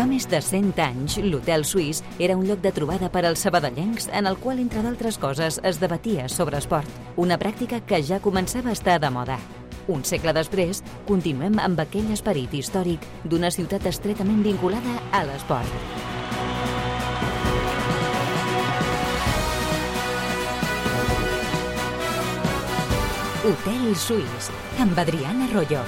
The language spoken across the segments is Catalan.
Fa més de 100 anys, l'Hotel Suís era un lloc de trobada per als sabadellencs en el qual, entre d'altres coses, es debatia sobre esport, una pràctica que ja començava a estar de moda. Un segle després, continuem amb aquell esperit històric d'una ciutat estretament vinculada a l'esport. Hotel Suís, amb Adriana Arroyo.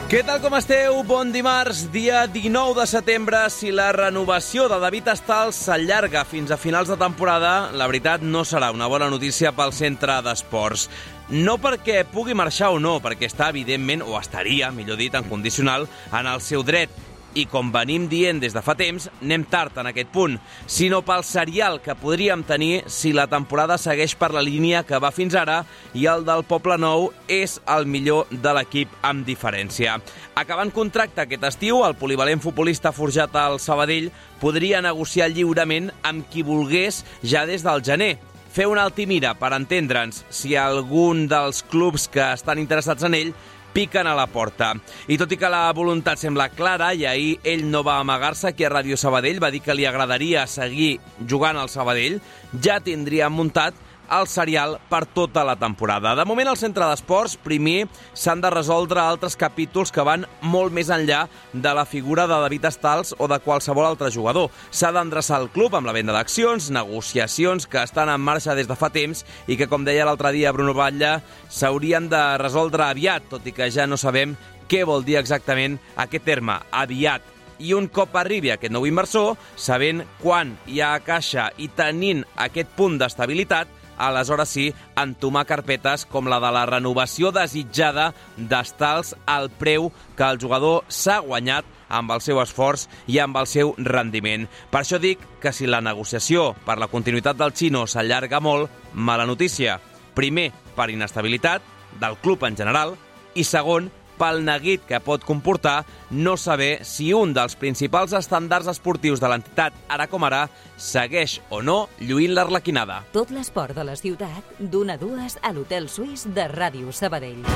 Què tal, com esteu? Bon dimarts, dia 19 de setembre. Si la renovació de David Stals s'allarga fins a finals de temporada, la veritat no serà una bona notícia pel centre d'esports. No perquè pugui marxar o no, perquè està evidentment, o estaria, millor dit, en condicional, en el seu dret. I com venim dient des de fa temps, anem tard en aquest punt, sinó pel serial que podríem tenir si la temporada segueix per la línia que va fins ara i el del Poblenou és el millor de l'equip amb diferència. Acabant contracte aquest estiu, el polivalent futbolista forjat al Sabadell podria negociar lliurement amb qui volgués ja des del gener. Fer una altimira per entendre'ns si algun dels clubs que estan interessats en ell piquen a la porta. I tot i que la voluntat sembla clara, i ahir ell no va amagar-se aquí a Ràdio Sabadell, va dir que li agradaria seguir jugant al Sabadell, ja tindria muntat el serial per tota la temporada. De moment, al centre d'esports, primer s'han de resoldre altres capítols que van molt més enllà de la figura de David Stals o de qualsevol altre jugador. S'ha d'endreçar el club amb la venda d'accions, negociacions que estan en marxa des de fa temps i que, com deia l'altre dia Bruno Batlle, s'haurien de resoldre aviat, tot i que ja no sabem què vol dir exactament aquest terme, aviat. I un cop arribi aquest nou inversor, sabent quan hi ha a caixa i tenint aquest punt d'estabilitat, aleshores sí, entomar carpetes com la de la renovació desitjada d'Stals al preu que el jugador s'ha guanyat amb el seu esforç i amb el seu rendiment. Per això dic que si la negociació per la continuïtat del xino s'allarga molt, mala notícia. Primer, per inestabilitat del club en general, i segon, pel neguit que pot comportar no saber si un dels principals estàndards esportius de l'entitat, ara com ara, segueix o no lluint l'arlequinada. Tot l'esport de la ciutat, d'1 a 2 a l'Hotel Suís de Ràdio Sabadell.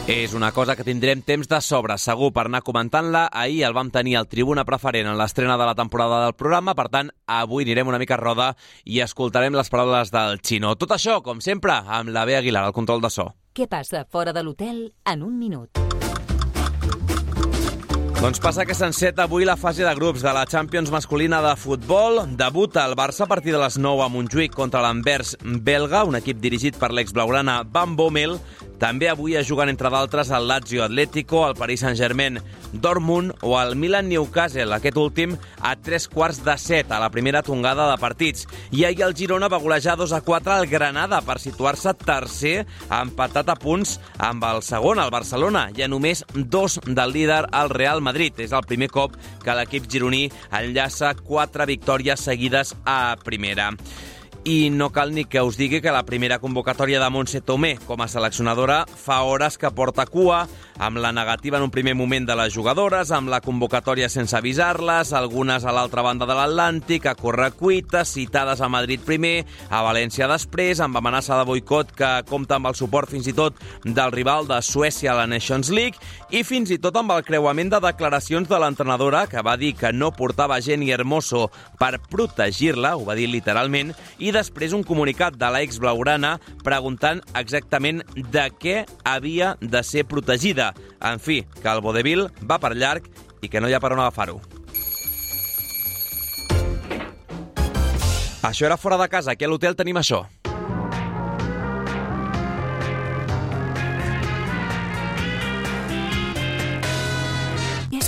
És una cosa que tindrem temps de sobre, segur, per anar comentant-la. Ahir el vam tenir al Tribuna Preferent en l'estrena de la temporada del programa, per tant, avui anirem una mica a roda i escoltarem les paraules del xino. Tot això, com sempre, amb la Bea Aguilar, al control de so. Què passa fora de l'hotel en un minut? Doncs passa que s'enceta avui la fase de grups de la Champions masculina de futbol. Debuta el Barça a partir de les 9 a Montjuïc contra l'Anvers belga, un equip dirigit per l'ex-blaugrana Van Bommel. També avui es juguen, entre d'altres, el Lazio Atlético, el Paris Saint-Germain Dortmund o el Milan Newcastle, aquest últim a 3:45 a la primera tongada de partits. I ahir el Girona va golejar 2-4 al Granada per situar-se tercer, empatat a punts amb el segon, el Barcelona, i a només 2 del líder, el Real Madrid. És el primer cop que l'equip gironí enllaça 4 victòries seguides a primera. I no cal ni que us digui que la primera convocatòria de Montse Tomé com a seleccionadora fa hores que porta cua, amb la negativa en un primer moment de les jugadores, amb la convocatòria sense avisar-les, algunes a l'altra banda de l'Atlàntic, a correcuita, citades a Madrid primer, a València després, amb amenaça de boicot que compta amb el suport fins i tot del rival de Suècia a la Nations League, i fins i tot amb el creuament de declaracions de l'entrenadora, que va dir que no portava Jenny Hermoso per protegir-la, ho va dir literalment, i després un comunicat de l'ex blaugrana preguntant exactament de què havia de ser protegida. En fi, que el vodevil va per llarg i que no hi ha per on agafar-ho. Això era fora de casa, aquí a l'hotel tenim això.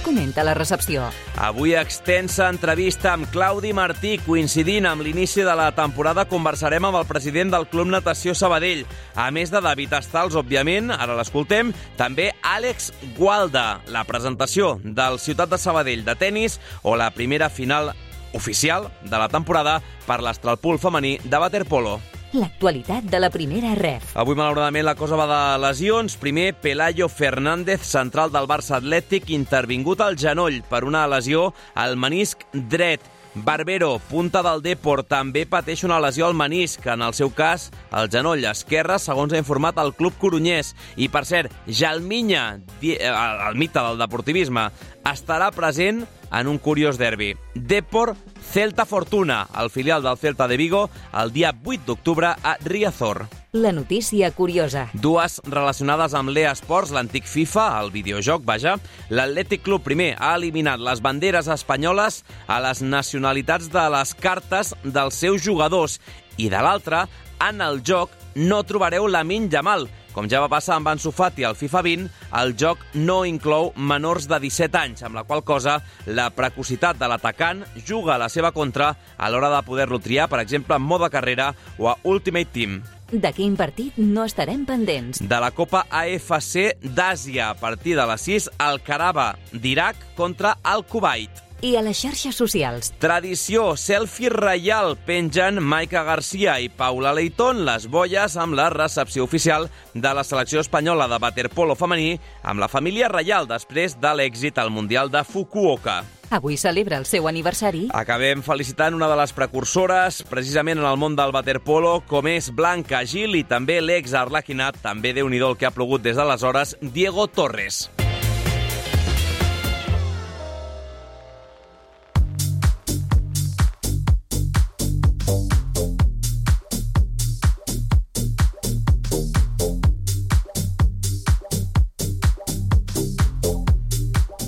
Comenta la recepció. Avui extensa entrevista amb Claudi Martí. Coincidint amb l'inici de la temporada, conversarem amb el president del Club Natació Sabadell. A més de David Stals, òbviament, ara l'escoltem, també Àlex Gualda, la presentació del Ciutat de Sabadell de tennis o la primera final oficial de la temporada per l'Astralpool femení de waterpolo. L'actualitat de la primera ref. Avui, malauradament, la cosa va de lesions. Primer, Pelayo Fernández, central del Barça Atlètic, intervingut al genoll per una lesió al menisc dret. Barbero, punta del Depor, també pateix una lesió al menisc, en el seu cas, el genoll esquerre, segons ha informat el club corunyès. I, per cert, Jalminya, el mite del deportivisme, estarà present en un curiós derbi. Depor Celta Fortuna, el filial del Celta de Vigo, el dia 8 d'octubre a Riazor. La notícia curiosa. Dues relacionades amb l'eSports, l'antic FIFA, el videojoc, vaja. L'Atlètic Club primer ha eliminat les banderes espanyoles a les nacionalitats de les cartes dels seus jugadors. I de l'altra, en el joc no trobareu Lamine Yamal. Com ja va passar amb Ansu Fati al FIFA 20, el joc no inclou menors de 17 anys, amb la qual cosa la precocitat de l'atacant juga a la seva contra a l'hora de poder-lo triar, per exemple, en mode carrera o a Ultimate Team. De quin partit no estarem pendents? De la Copa AFC d'Àsia, a partir de les 6, el Karaba d'Iraq contra el Kuwait. I a les xarxes socials. Tradició, selfie reial, pengen Maica Garcia i Paula Leitón les boies amb la recepció oficial de la selecció espanyola de waterpolo femení amb la família reial després de l'èxit al Mundial de Fukuoka. Avui celebra el seu aniversari. Acabem felicitant una de les precursores, precisament en el món del waterpolo, com és Blanca Gil i també l'ex-arlequinat, també Déu-n'hi-do el que ha plogut des d'aleshores, Diego Torres.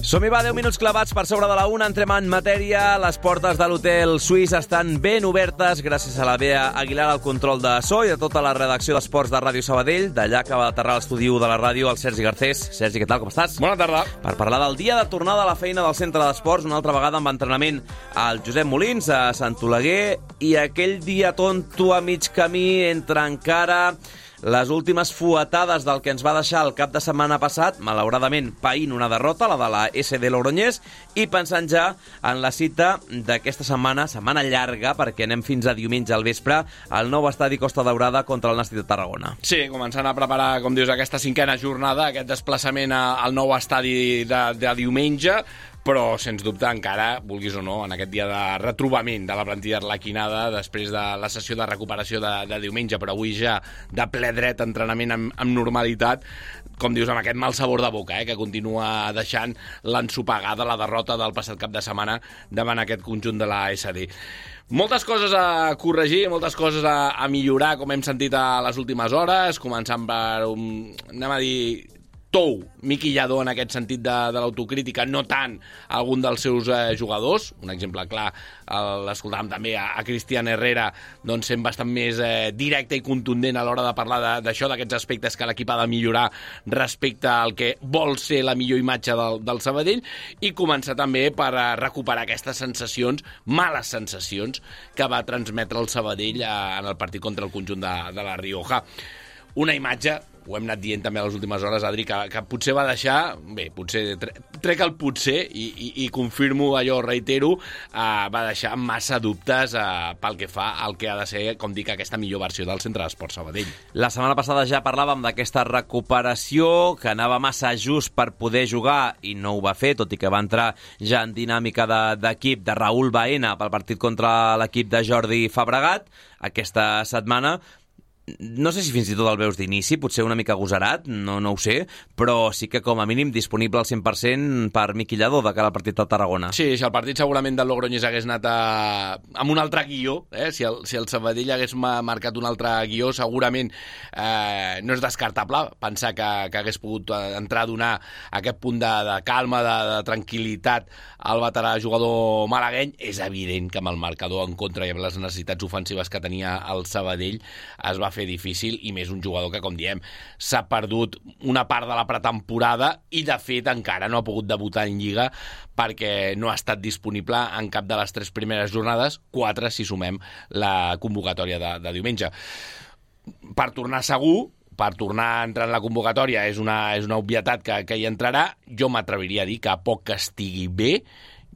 Som-hi, va, 10 minuts clavats per sobre de la 1, entrem en matèria. Les portes de l'hotel suís estan ben obertes gràcies a la Bea Aguilar al control de so i de tota la redacció d'esports de Ràdio Sabadell. D'allà acaba d'aterrar a l'estudi de la ràdio el Sergi Garcés. Sergi, què tal, com estàs? Bona tarda. Per parlar del dia de tornada a la feina del centre d'esports, una altra vegada amb entrenament al Josep Molins, a Sant Oleguer, i aquell dia tonto a mig camí entre encara les últimes fuetades del que ens va deixar el cap de setmana passat, malauradament païnt una derrota, la de la SD Logroñés, i pensant ja en la cita d'aquesta setmana llarga, perquè anem fins a diumenge al vespre, al nou estadi Costa Daurada contra el Nàstic de Tarragona. Sí, començant a preparar, com dius, aquesta cinquena jornada, aquest desplaçament al nou estadi de diumenge, però, sens dubte, encara, vulguis o no, en aquest dia de retrobament de la plantilla arlequinada, després de la sessió de recuperació de diumenge, però avui ja de ple dret, entrenament amb normalitat, com dius, amb aquest mal sabor de boca, que continua deixant l'ensopegada, la derrota del passat cap de setmana davant aquest conjunt de la SD. Moltes coses a corregir, moltes coses a millorar, com hem sentit a les últimes hores, començant per anem a dir, tou miquillador en aquest sentit de l'autocrítica, no tant algun dels seus jugadors. Un exemple clar, l'escoltàvem també a Cristian Herrera, doncs sent bastant més directe i contundent a l'hora de parlar d'això, d'aquests aspectes que l'equip ha de millorar respecte al que vol ser la millor imatge del Sabadell, i començar també per recuperar aquestes sensacions, males sensacions, que va transmetre el Sabadell en el partit contra el conjunt de la Rioja. Una imatge, ho hem anat dient també a les últimes hores, Adri, que potser va deixar, bé, potser trec el potser i confirmo allò, reitero, va deixar massa dubtes pel que fa al que ha de ser, com dic, aquesta millor versió del Centre d'Esports Sabadell. La setmana passada ja parlàvem d'aquesta recuperació, que anava massa just per poder jugar i no ho va fer, tot i que va entrar ja en dinàmica d'equip de Raúl Baena pel partit contra l'equip de Jordi Fabregat. Aquesta setmana no sé si fins i tot el veus d'inici, potser una mica agosarat, no ho sé, però sí que com a mínim disponible al 100% per miquillador de cara al partit de Tarragona. Sí, si el partit segurament del Logroñés hagués anat amb un altre guió, si el Sabadell hagués marcat un altre guió, segurament no és descartable pensar que hagués pogut entrar a donar aquest punt de calma, de tranquil·litat al veterà jugador malagueny. És evident que amb el marcador en contra i amb les necessitats ofensives que tenia el Sabadell es va fer difícil, i més un jugador que, com diem, s'ha perdut una part de la pretemporada i, de fet, encara no ha pogut debutar en Lliga perquè no ha estat disponible en cap de les 3 primeres jornades, 4 si sumem la convocatòria de diumenge. Per tornar segur, per tornar a entrar en la convocatòria, és una obvietat que hi entrarà. Jo m'atreviria a dir que a poc que estigui bé,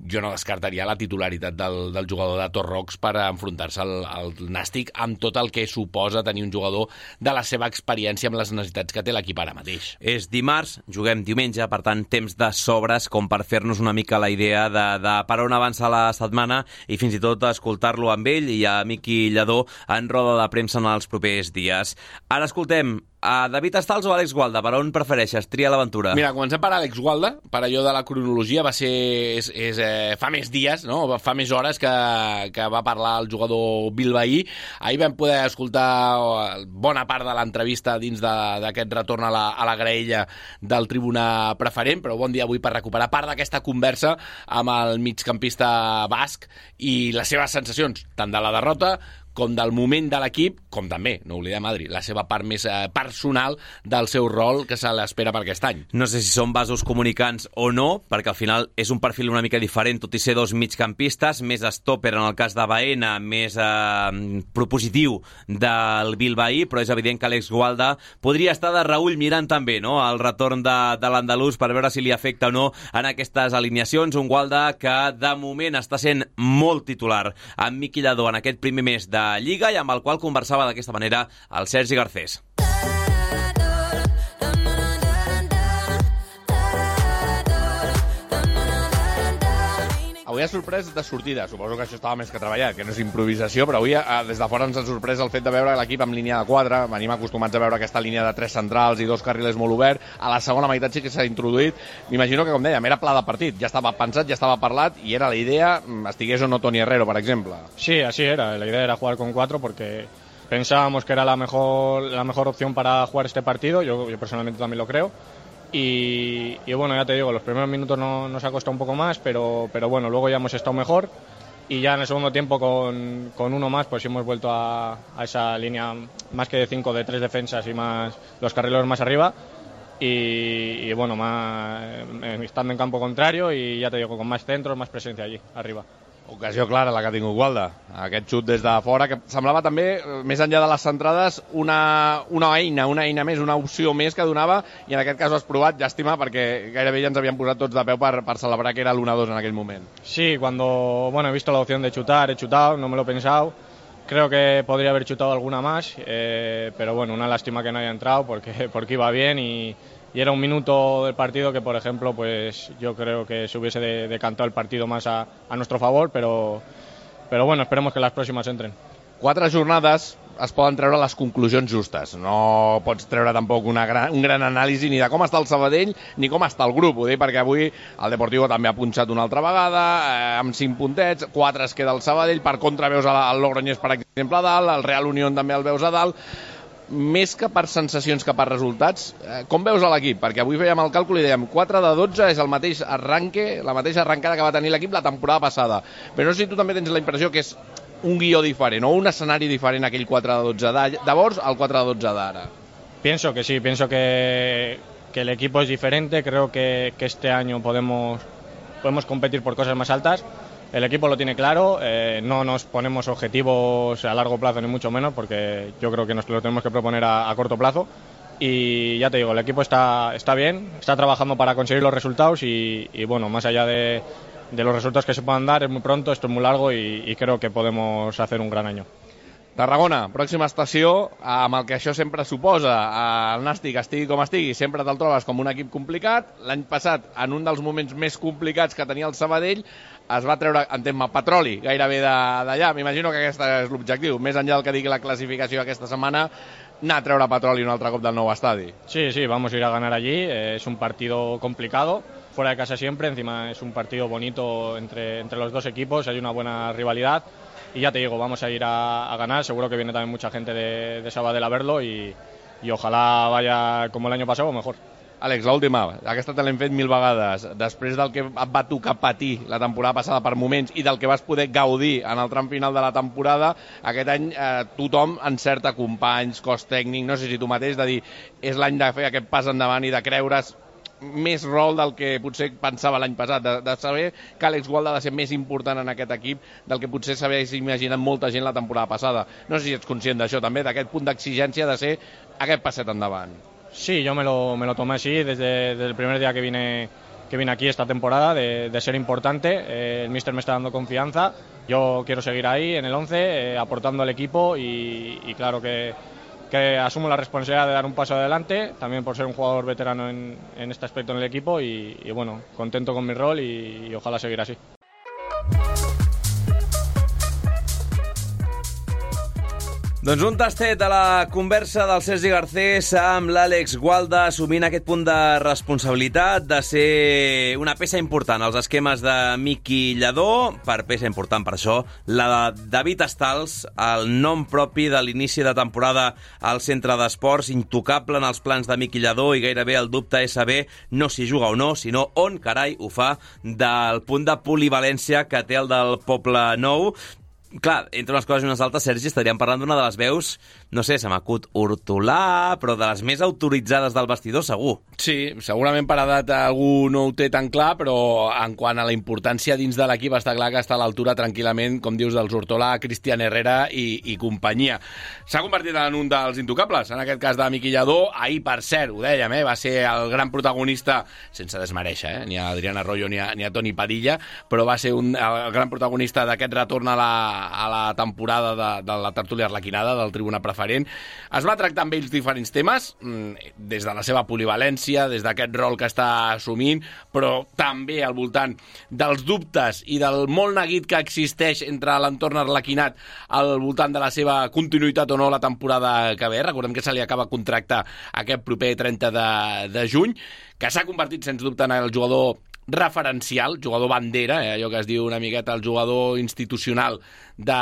jo no descartaria la titularitat del jugador de Torrox per enfrontar-se al Nàstic amb tot el que suposa tenir un jugador de la seva experiència amb les necessitats que té l'equip ara mateix. És dimarts, juguem diumenge, per tant, temps de sobres com per fer-nos una mica la idea de per on avança la setmana i fins i tot escoltar-lo amb ell i a Miqui Lladó en roda de premsa en els propers dies. Ara escoltem a David Stals o Àlex Gualda? Per on prefereixes? Tria l'aventura. Mira, comencem per Àlex Gualda, per allò de la cronologia, va ser fa més dies, no? Fa més hores que va parlar el jugador bilbaí. Ahir vam poder escoltar bona part de l'entrevista dins d'aquest retorn a la graella del tribuna preferent, però bon dia avui per recuperar part d'aquesta conversa amb el migcampista basc i les seves sensacions, tant de la derrota com del moment de l'equip, com també, no oblidem, Adri, la seva part més personal del seu rol que se l'espera per aquest any. No sé si són vasos comunicants o no, perquè al final és un perfil una mica diferent, tot i ser dos migcampistes, més stopper en el cas de Baena, més propositiu del bilbaí, però és evident que Àlex Gualda podria estar de reüll mirant també, no?, el retorn de l'andalús per veure si li afecta o no en aquestes alineacions. Un Gualda que de moment està sent molt titular amb Miqui Lladó en aquest primer mes de Lliga i amb el qual conversava d'aquesta manera el Sergi Garcés. Avui ha sorprès de sortida, suposo que això estava més que treballat, que no és improvisació, però avui des de fora ens ha sorprès el fet de veure l'equip amb línia de 4, venim acostumats a veure aquesta línia de 3 centrals i 2 carrilers molt obert, a la segona meitat sí que s'ha introduït, m'imagino que, com dèiem, era pla de partit, ja estava pensat, ja estava parlat, i era la idea, estigués o no Toni Herrero, per exemple. Sí, así era, la idea era jugar con 4 porque pensábamos que era la mejor opción para jugar este partido, yo personalmente también lo creo. Y bueno, ya te digo, los primeros minutos nos ha costado un poco más, pero bueno, luego ya hemos estado mejor y ya en el segundo tiempo con uno más pues hemos vuelto a esa línea más que de 5, de 3 defensas y más los carrileros más arriba y bueno, más estando en campo contrario y ya te digo, con más centros, más presencia allí, arriba. Ocasió clara la que ha tingut Gualda, aquest xut des de fora, que semblava també, més enllà de les centrades, una eina més, una opció més que donava, i en aquest cas ho has provat, llàstima, perquè gairebé ja ens havien posat tots de peu per celebrar que era l'1-2 en aquell moment. Sí, cuando he visto la opción de chutar, he chutado, no me lo he pensado, creo que podría haber chutado alguna más, pero bueno, una lástima que no haya entrado porque iba bien y era un minuto del partido que, por ejemplo, pues yo creo que se hubiese decantado el partido más a nuestro favor, pero bueno, esperemos que las próximas entren. 4 jornades es poden treure les conclusions justes. No pots treure tampoc un gran anàlisi ni de com està el Sabadell ni com està el grup. Ho dic perquè avui el Deportivo també ha punxat una altra vegada, amb 5 puntets, 4 es queda el Sabadell, per contra veus el Logroñés, per exemple, a dalt, el Real Unión també el veus a dalt. Més que per sensacions que per resultats, com veus a l'equip? Perquè avui fèiem el càlcul i dèiem 4 de 12 és el mateix arranque, la mateixa arrencada que va tenir l'equip la temporada passada. Però no sé si tu també tens la impressió que és un guió diferent o un escenari diferent aquell 4 de 12 de llavors al 4 de 12 d'ara. Pienso que sí, pienso que el equipo es diferente, creo que este año podemos competir por cosas más altas. El equipo lo tiene claro, no nos ponemos objetivos a largo plazo ni mucho menos porque yo creo que nos lo tenemos que proponer a corto plazo y ya te digo, el equipo está bien, está trabajando para conseguir los resultados y bueno, más allá de los resultados que se puedan dar, es muy pronto, esto es muy largo y creo que podemos hacer un gran año. Tarragona, pròxima estació, amb el que això sempre suposa. El Nàstic, estigui com estigui, sempre te'l trobes com un equip complicat. L'any passat, en un dels moments més complicats que tenia el Sabadell, es va treure, entenc-me, petroli gairebé d'allà. M'imagino que aquest és l'objectiu. Més enllà del que digui la classificació aquesta setmana, anar a treure petroli un altre cop del nou estadi. Sí, vamos a ir a ganar allí. Es un partido complicado, fuera de casa siempre. Encima es un partido bonito entre los dos equipos. Hay una buena rivalidad. Y ya te digo, vamos a ir a ganar, seguro que viene también mucha gente de Sabadell a verlo y ojalá vaya como el año pasado o mejor. Àlex, l'última, aquesta te l'hem fet 1000 vegades. Després del que et va tocar patir la temporada passada per moments i del que vas poder gaudir en el tram final de la temporada, aquest any tothom encerta companys, cos tècnic, no sé si tu mateix, de dir, és l'any de fer aquest pas endavant i de creure's més rol del que potser pensava l'any passat, de saber que Àlex Gualda ha de ser més important en aquest equip del que potser s'hagués imaginat molta gent la temporada passada. No sé si ets conscient d'això també, d'aquest punt d'exigència de ser aquest passet endavant. Sí, yo me lo tomé así desde el primer día que vine vine aquí esta temporada, de ser importante. El míster me está dando confianza, yo quiero seguir ahí en el 11, aportando al equipo y claro que asumo la responsabilidad de dar un paso adelante, también por ser un jugador veterano en este aspecto en el equipo y bueno, contento con mi rol y ojalá seguir así. Doncs un tastet de la conversa del Sergi Garcés amb l'Àlex Gualda, assumint aquest punt de responsabilitat de ser una peça important als esquemes de Miqui Lladó. Per peça important, per això, la de David Stals, el nom propi de l'inici de temporada al centre d'esports, intocable en els plans de Miqui Lladó i gairebé el dubte és saber no si juga o no, sinó on carai ho fa, del punt de polivalència que té el del Poble Nou. Clar, entre unes coses i unes altres, Sergi, estaríem parlant d'una de les veus, no sé, se m'acut Hortolà, però de les més autoritzades del vestidor, segur. Sí, segurament per edat algú no ho té tan clar, però en quant a la importància dins de l'equip està clar que està a l'altura tranquil·lament, com dius, dels Hortolà, Cristian Herrera i companyia. S'ha convertit en un dels intocables, en aquest cas de Miqui Lladó. Ahir, per cert, ho dèiem, va ser el gran protagonista, sense desmereixer, ni a Adrián Arroyo ni a Toni Padilla, però va ser el gran protagonista d'aquest retorn a la temporada de la tertúlia arlequinada, del Tribuna Preferent. Es va tractar amb ells diferents temes, des de la seva polivalència, des d'aquest rol que està assumint, però també al voltant dels dubtes i del molt neguit que existeix entre l'entorn arlequinat al voltant de la seva continuïtat o no la temporada que ve. Recordem que se li acaba contracte aquest proper 30 de juny, que s'ha convertit, sens dubte, en el jugador referencial, jugador bandera, allò que es diu una miqueta el jugador institucional de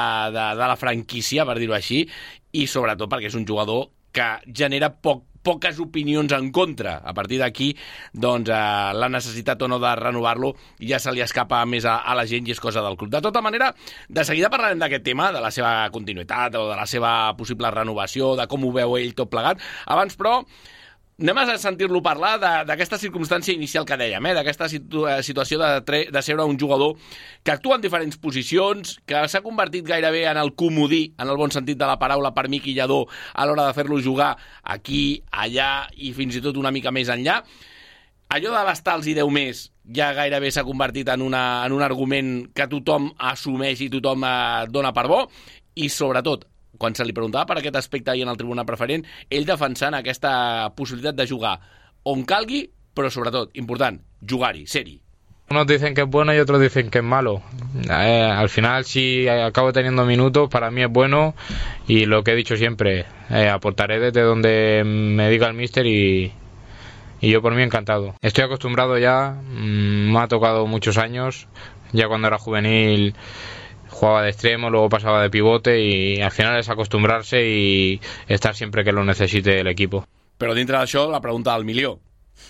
la franquícia, per dir-ho així, i sobretot perquè és un jugador que genera poques opinions en contra. A partir d'aquí, doncs, la necessitat o no de renovar-lo ja se li escapa més a la gent i és cosa del club. De tota manera, de seguida parlarem d'aquest tema, de la seva continuïtat o de la seva possible renovació, de com ho veu ell tot plegat. Abans, però, anem a sentir-lo parlar d'aquesta circumstància inicial que dèiem, d'aquesta situació de ser un jugador que actua en diferents posicions, que s'ha convertit gairebé en el comodí, en el bon sentit de la paraula, per Miqui Lladó a l'hora de fer-lo jugar aquí, allà i fins i tot una mica més enllà. Allò de l'Stals i 10 més ja gairebé s'ha convertit en un argument que tothom assumeix i tothom dona per bo, i sobretot, quan se li preguntava per aquest aspecte ahir en el Tribuna Preferent, ell defensant aquesta possibilitat de jugar on calgui, però sobretot, important, jugar-hi, ser-hi. Unos dicen que es bueno y otros dicen que es malo. Al final, si acabo teniendo minutos, para mí es bueno y lo que he dicho siempre, aportaré desde donde me diga el míster y yo por mí encantado. Estoy acostumbrado ya, me ha tocado muchos años, ya cuando era juvenil jugaba de extremo, luego pasaba de pivote y al final es acostumbrarse y estar siempre que lo necesite el equipo. Però dintre d'això, la pregunta del milió.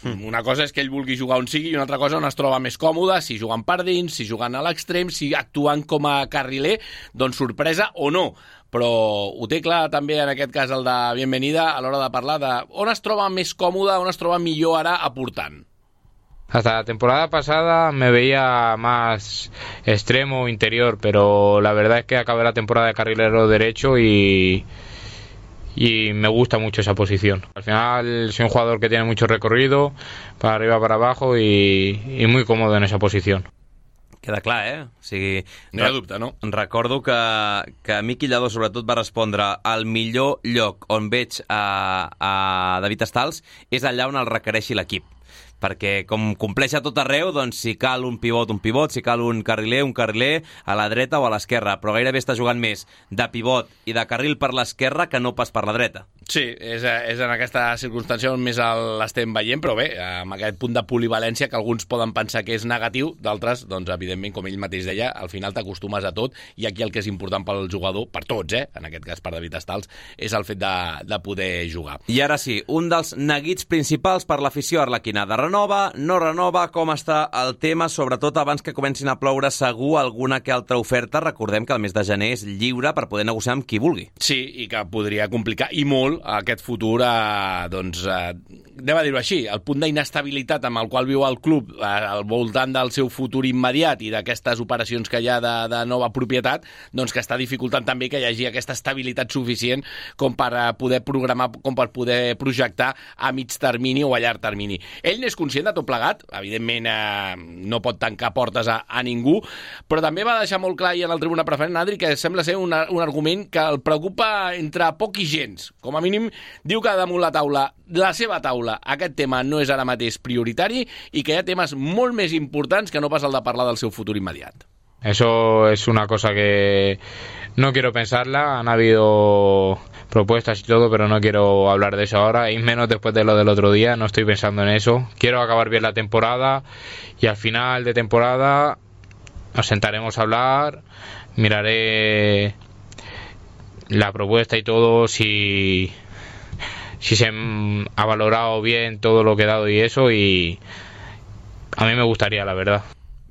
Una cosa és que ell vulgui jugar on sigui i una altra cosa on es troba més còmode, si jugant per dins, si jugant a l'extrem, si actuant com a carriler, doncs sorpresa o no. Però ho té clar també en aquest cas el de Bienvenida a l'hora de parlar de on es troba més còmode, on es troba millor ara aportant. Hasta la temporada pasada me veía más extremo o interior, pero la verdad es que acabé la temporada de carrilero derecho y me gusta mucho esa posición. Al final soy un jugador que tiene mucho recorrido, para arriba, para abajo y muy cómodo en esa posición. Queda clar, O sigui, no hi ha dubte, no? Recordo que Miqui Lladó sobretot va respondre el millor lloc on veig a David Stals és allà on el requereixi l'equip. Perquè com compleix a tot arreu, doncs si cal un pivot, si cal un carriler, a la dreta o a l'esquerra, però gairebé està jugant més de pivot i de carril per l'esquerra que no pas per la dreta. Sí, és en aquesta circumstància on més l'estem veient, però bé, amb aquest punt de polivalència que alguns poden pensar que és negatiu, d'altres, doncs evidentment, com ell mateix deia, al final t'acostumes a tot i aquí el que és important pel jugador, per tots, en aquest cas per David Stals, és el fet de poder jugar. I ara sí, un dels neguits principals per l'afició arlequinada. Renova, no renova, com està el tema, sobretot abans que comencin a ploure segur alguna que altra oferta. Recordem que el mes de gener és lliure per poder negociar amb qui vulgui. Sí, i que podria complicar i molt molt aquest futur, anem a dir-ho així, el punt d'inestabilitat amb el qual viu el club al voltant del seu futur immediat i d'aquestes operacions que hi ha de nova propietat, doncs que està dificultant també que hi hagi aquesta estabilitat suficient com per poder programar, com per poder projectar a mig termini o a llarg termini. Ell n'és conscient de tot plegat, evidentment no pot tancar portes a ningú, però també va deixar molt clar en el Tribuna Preferent, Adri, que sembla ser un argument que el preocupa entre poc i gens. Com a mínim, diu que damunt la seva taula, aquest tema no és ara mateix prioritari i que hi ha temes molt més importants que no pas el de parlar del seu futur immediat. Eso es una cosa que no quiero pensarla. Han habido propuestas y todo, pero no quiero hablar de eso ahora, y menos después de lo del otro día. No estoy pensando en eso. Quiero acabar bien la temporada y al final de temporada nos sentaremos a hablar, miraré la propuesta y todo, si se ha valorado bien todo lo que he dado y eso, y a mí me gustaría, la verdad.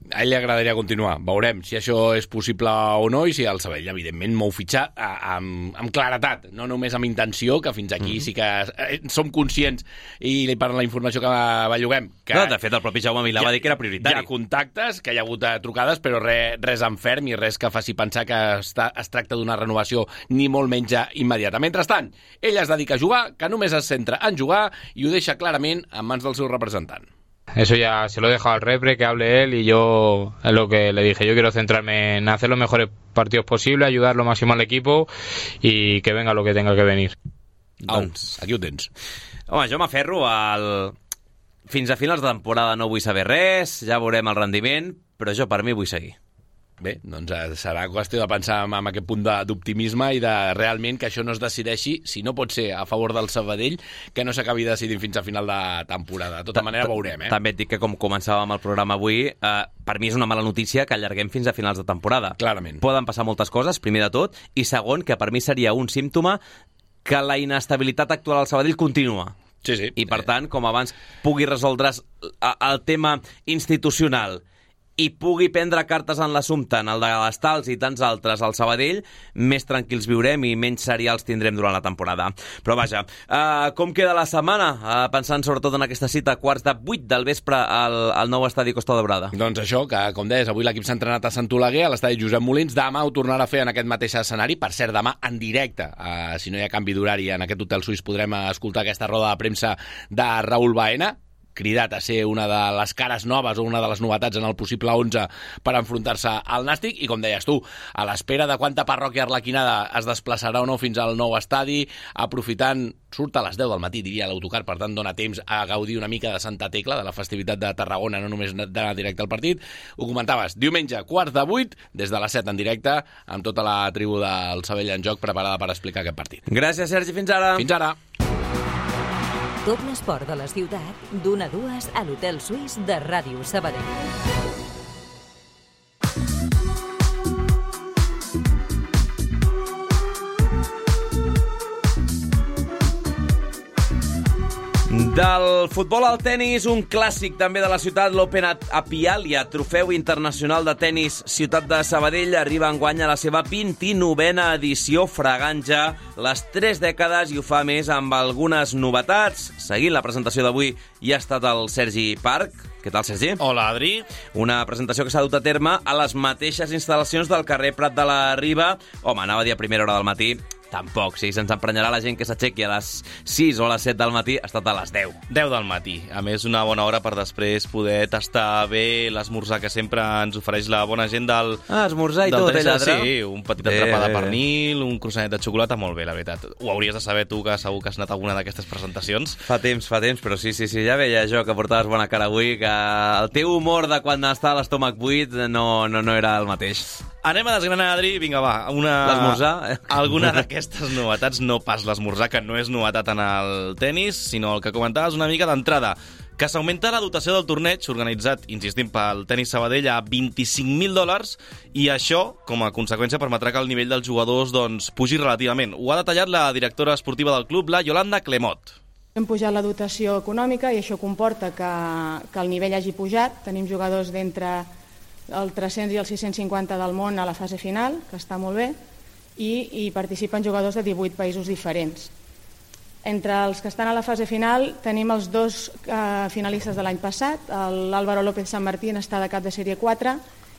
A ell li agradaria continuar. Veurem si això és possible o no i si el Sabadell, evidentment, mou fitxar amb claretat, no només amb intenció, que fins aquí sí que som conscients i per la informació que belluguem. No, de fet, el propi Jaume Milà va dir que era prioritari. Hi ha contactes, que hi ha hagut trucades, però res en ferm i res que faci pensar que es tracta d'una renovació ni molt menys immediata. Mentrestant, ell es dedica a jugar, que només es centra en jugar i ho deixa clarament en mans del seu representant. Eso ya se lo he dejado al repre, que hable él, y yo es lo que le dije. Yo quiero centrarme en hacer los mejores partidos posibles, ayudar lo máximo al equipo y que venga lo que tenga que venir. Doncs, aquí ho tens. Home, jo m'aferro fins a finals de temporada no vull saber res, ja veurem el rendiment, però jo per mi vull seguir. Bé, doncs serà qüestió de pensar en aquest punt d'optimisme i de realment que això no es decideixi, si no pot ser a favor del Sabadell, que no s'acabi decidint fins a final de temporada. De tota manera, veurem. També et dic que, com començàvem el programa avui, per mi és una mala notícia que allarguem fins a finals de temporada. Clarament. Poden passar moltes coses, primer de tot, i segon, que per mi seria un símptoma que la inestabilitat actual al Sabadell continua. Sí. I, per tant, com abans pugui resoldre's el tema institucional i pugui prendre cartes en l'assumpte, en el de les tals i tants altres al Sabadell, més tranquils viurem i menys serials tindrem durant la temporada. Però vaja, com queda la setmana? Pensant sobretot en aquesta cita, 7:15 del vespre al nou estadi Costa Daurada. Doncs això, que com deies, avui l'equip s'ha entrenat a Sant Oleguer, a l'estadi Josep Molins. Demà ho tornarà a fer en aquest mateix escenari. Per cert, demà en directe, si no hi ha canvi d'horari, en aquest hotel suís podrem escoltar aquesta roda de premsa de Raúl Baena, cridat a ser una de les cares noves o una de les novetats en el possible 11 per enfrontar-se al Nàstic, i com deies tu, a l'espera de quanta parròquia arlequinada es desplaçarà o no fins al nou estadi, aprofitant, surt a les 10 del matí, diria l'autocar, per tant dona temps a gaudir una mica de Santa Tecla, de la festivitat de Tarragona, no només d'anar directe al partit. Ho comentaves, diumenge, 7:15, des de les 7 en directe, amb tota la tribu del Sabadell en joc preparada per explicar aquest partit. Gràcies, Sergi, fins ara. Fins ara. Tot l'esport de la ciutat, d'1 a 2 a l'Hotel Suís de Ràdio Sabadell. Del futbol al tennis, un clàssic també de la ciutat, l'Open Apialia, trofeu internacional de tennis Ciutat de Sabadell, arriba enguany a la seva 29a edició, fregant ja les 3 dècades, i ho fa més amb algunes novetats. Seguint la presentació d'avui hi ha estat el Sergi Parc. Què tal, Sergi? Hola, Adri. Una presentació que s'ha dut a terme a les mateixes instal·lacions del carrer Prat de la Riba. Home, anava a dir a primera hora del matí. Tampoc, si se'ns emprenyarà la gent que s'aixequi a les 6 o a les 7 del matí, ha estat a les 10. 10 del matí. A més, una bona hora per després poder tastar bé l'esmorzar que sempre ens ofereix la bona gent del... esmorzar i tot, lladre. Sí, un petit entrepà de pernil, un croissanet de xocolata, molt bé, la veritat. Ho hauries de saber tu, que segur que has anat a alguna d'aquestes presentacions. Fa temps, però sí, ja veia jo que portaves bona cara avui, que el teu humor de quan està a l'estómac buit no era el mateix. Anem a desgranar, Adri. Vinga, va. L'esmorzar? Alguna d'aquestes novetats, no pas l'esmorzar, que no és novetat en el tennis, sinó el que comentaves una mica d'entrada, que s'augmenta la dotació del torneig, organitzat, insistim, pel Tenis Sabadell, a $25.000, i això, com a conseqüència, permetrà que el nivell dels jugadors pugi relativament. Ho ha detallat la directora esportiva del club, la Yolanda Clemot. Hem pujat la dotació econòmica i això comporta que el nivell hagi pujat. Tenim jugadors d'entre el 300 i el 650 del món a la fase final, que està molt bé, i participen jugadors de 18 països diferents. Entre els que estan a la fase final tenim els dos finalistes de l'any passat. L'Álvaro López San Martín està de cap de sèrie 4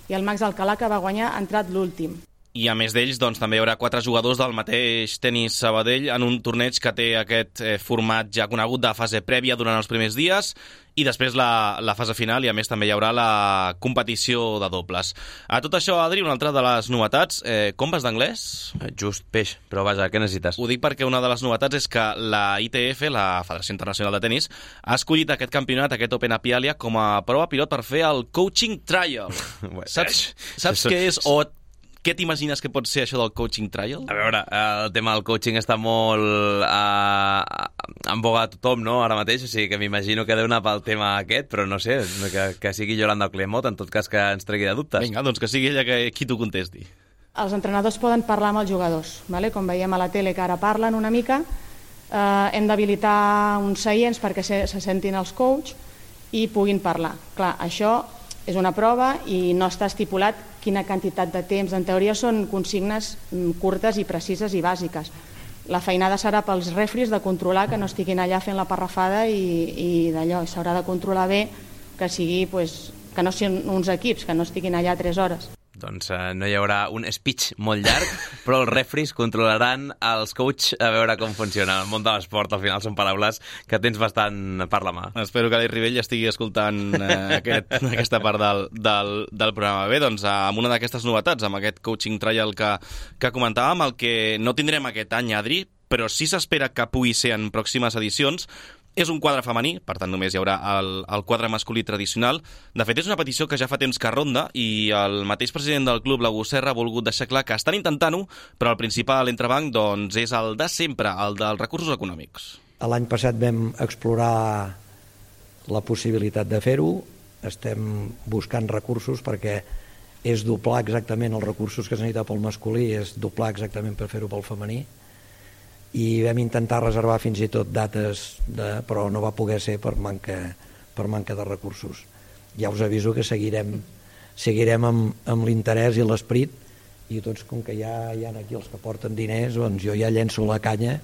i el Max Alcalá, que va guanyar, ha entrat l'últim. I a més d'ells, doncs, també hi haurà 4 jugadors del mateix Tenis Sabadell en un torneig que té aquest format ja conegut de fase prèvia durant els primers dies i després la fase final, i a més també hi haurà la competició de dobles. A tot això, Adri, una altra de les novetats. Com vas d'anglès? Just peix, però vaja, què necessites? Ho dic perquè una de les novetats és que la ITF, la Federació Internacional de Tenis, ha escollit aquest campionat, aquest Open a Pialia, com a prova pilot per fer el coaching trial. Saps què és o què t'imagines que pot ser això del coaching trial? A veure, el tema del coaching està molt en boga a tothom, no?, ara mateix, o sigui que m'imagino que deu anar pel tema aquest, però no sé, que sigui Yolanda Clemot, en tot cas que ens tregui de dubtes. Vinga, doncs que sigui ella qui t'ho contesti. Els entrenadors poden parlar amb els jugadors, vale? Com veiem a la tele que ara parlen una mica, hem d'habilitar uns seients perquè se sentin els coach i puguin parlar. Clar, això és una prova i no està estipulat quina quantitat de temps. En teoria són consignes curtes i precises i bàsiques. La feinada serà pels refris de controlar que no estiguin allà fent la parrafada i d'allò. S'haurà de controlar bé que sigui, que no siguin uns equips, que no estiguin allà 3 hores. Doncs no hi haurà un speech molt llarg, però els refris controlaran els coach a veure com funciona. El món de l'esport, al final, són paraules que tens bastant per la mà. Espero que l'Ai Rivell estigui escoltant aquesta part del programa. Bé, doncs, amb una d'aquestes novetats, amb aquest coaching trial que comentàvem, el que no tindrem aquest any, Adri, però sí s'espera que pugui ser en pròximes edicions, és un quadre femení, per tant només hi haurà el quadre masculí tradicional. De fet, és una petició que ja fa temps que ronda i el mateix president del club, l'August Serra, ha volgut deixar clar que estan intentant-ho, però el principal entrebanc doncs, és el de sempre, el dels recursos econòmics. L'any passat vam explorar la possibilitat de fer-ho, estem buscant recursos perquè és doblar exactament els recursos que es necessita pel masculí, és doblar exactament per fer-ho pel femení, i vam intentar reservar fins i tot dates, però no va poder ser per manca de recursos. Ja us aviso que seguirem amb l'interès i l'esperit, i tots, com que ja hi ha aquí els que porten diners, doncs jo ja llenço la canya,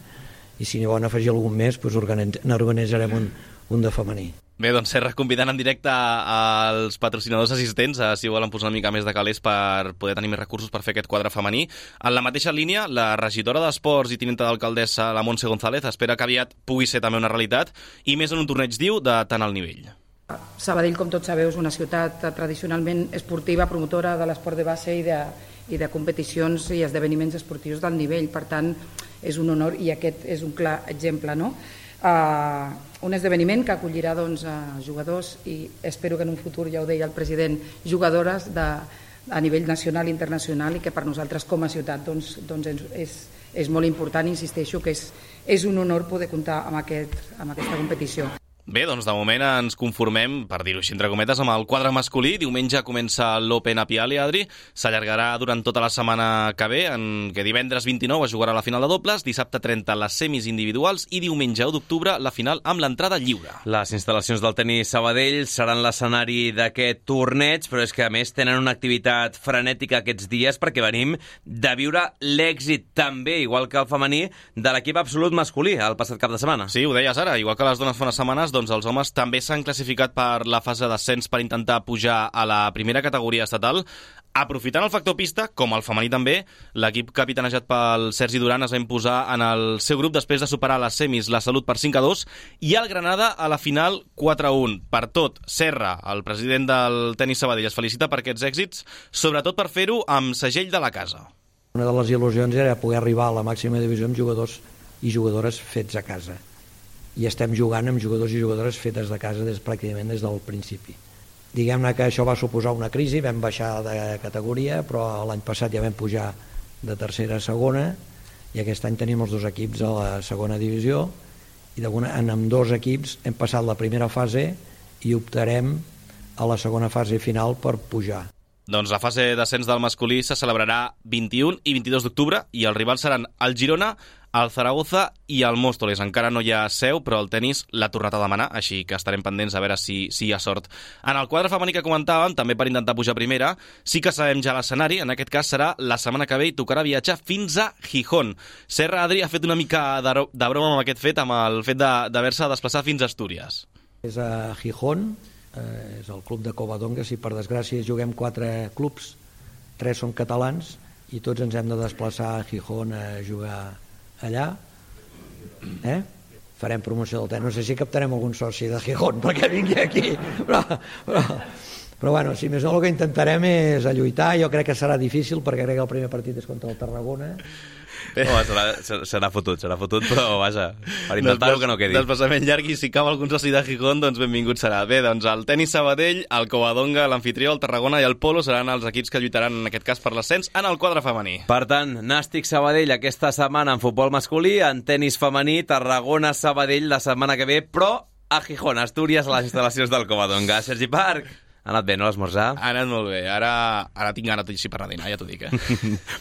i si n'hi volen afegir algun més, doncs n'organitzarem un de femení. Bé, doncs Serra convidant en directe als patrocinadors assistents si volen posar una mica més de calés per poder tenir més recursos per fer aquest quadre femení. En la mateixa línia, la regidora d'Esports i tinenta d'alcaldessa, la Montse González, espera que aviat pugui ser també una realitat i més en un torneig, diu, de tant alt nivell. Sabadell, com tots sabeu, és una ciutat tradicionalment esportiva, promotora de l'esport de base i de competicions i esdeveniments esportius d'alt nivell. Per tant, és un honor i aquest és un clar exemple, no? Un esdeveniment que acollirà jugadors i espero que en un futur, ja ho deia el president, jugadores a nivell nacional i internacional, i que per nosaltres com a ciutat és molt important. Insisteixo que és un honor poder comptar amb aquesta competició. Bé, doncs de moment ens conformem, per dir-ho així entre cometes, amb el quadre masculí. Diumenge comença l'Open a Pialia, Adri. S'allargarà durant tota la setmana que ve, en què divendres 29 es jugarà la final de dobles, dissabte 30 les semis individuals i diumenge 1 d'octubre la final amb l'entrada lliure. Les instal·lacions del Tenis Sabadell seran l'escenari d'aquest torneig, però és que a més tenen una activitat frenètica aquests dies perquè venim de viure l'èxit també, igual que el femení, de l'equip absolut masculí el passat cap de setmana. Sí, ho deies ara, igual que les dones fa unes setmanes, doncs els homes també s'han classificat per la fase d'ascens per intentar pujar a la primera categoria estatal. Aprofitant el factor pista, com el femení també, l'equip capitanejat pel Sergi Duran es va imposar en el seu grup després de superar les semis la Salut per 5-2 i el Granada a la final 4-1. Per tot, Serra, el president del Tenis Sabadell, es felicita per aquests èxits, sobretot per fer-ho amb segell de la casa. Una de les il·lusions era poder arribar a la màxima divisió amb jugadors i jugadores fets a casa. I estem jugant amb jugadors i jugadores fetes de casa pràcticament des del principi. Diguem-ne que això va suposar una crisi, vam baixar de categoria, però l'any passat ja vam pujar de tercera a segona i aquest any tenim els dos equips a la segona divisió i en ambdós equips hem passat la primera fase i optarem a la segona fase final per pujar. Doncs la fase d'ascens del masculí se celebrarà 21 i 22 d'octubre i els rivals seran el Girona, el Zaragoza i el Móstoles. Encara no hi ha seu, però el tenis l'ha tornat a demanar, així que estarem pendents a veure si hi ha sort. En el quadre femení que comentàvem, també per intentar pujar a primera, sí que sabem ja l'escenari. En aquest cas serà la setmana que ve i tocarà viatjar fins a Gijón. Serra Adri ha fet una mica de broma amb aquest fet, amb el fet d'haver-se desplaçat fins a Astúries. És a Gijón, és el club de Covadonga. Si per desgràcia juguem 4 clubs, 3 són catalans i tots ens hem de desplaçar a Gijón a jugar allà. Farem promoció del tenis. No sé si captarem algun soci de Gijón perquè vingui aquí, però bueno, si més no, el que intentarem és lluitar. Jo crec que serà difícil perquè crec que el primer partit és contra el Tarragona. Serà fotut, però vaja, per intentar-ho que no quedi. Desplaçament llarg, i si cau algun soci de Gijón, doncs benvingut serà. Bé, doncs el tenis Sabadell, el Covadonga, l'Amfitrió, el Tarragona i el Polo seran els equips que lluitaran en aquest cas per l'ascens en el quadre femení. Per tant, Nàstic Sabadell aquesta setmana en futbol masculí, en tenis femení, Tarragona Sabadell la setmana que ve, però a Gijón, Astúries, a les instal·lacions del Covadonga. Sergi Parc, ha anat bé, no, l'esmorzar? Ha anat molt bé. Ara tinc gana tot així per dinar, ja t'ho dic,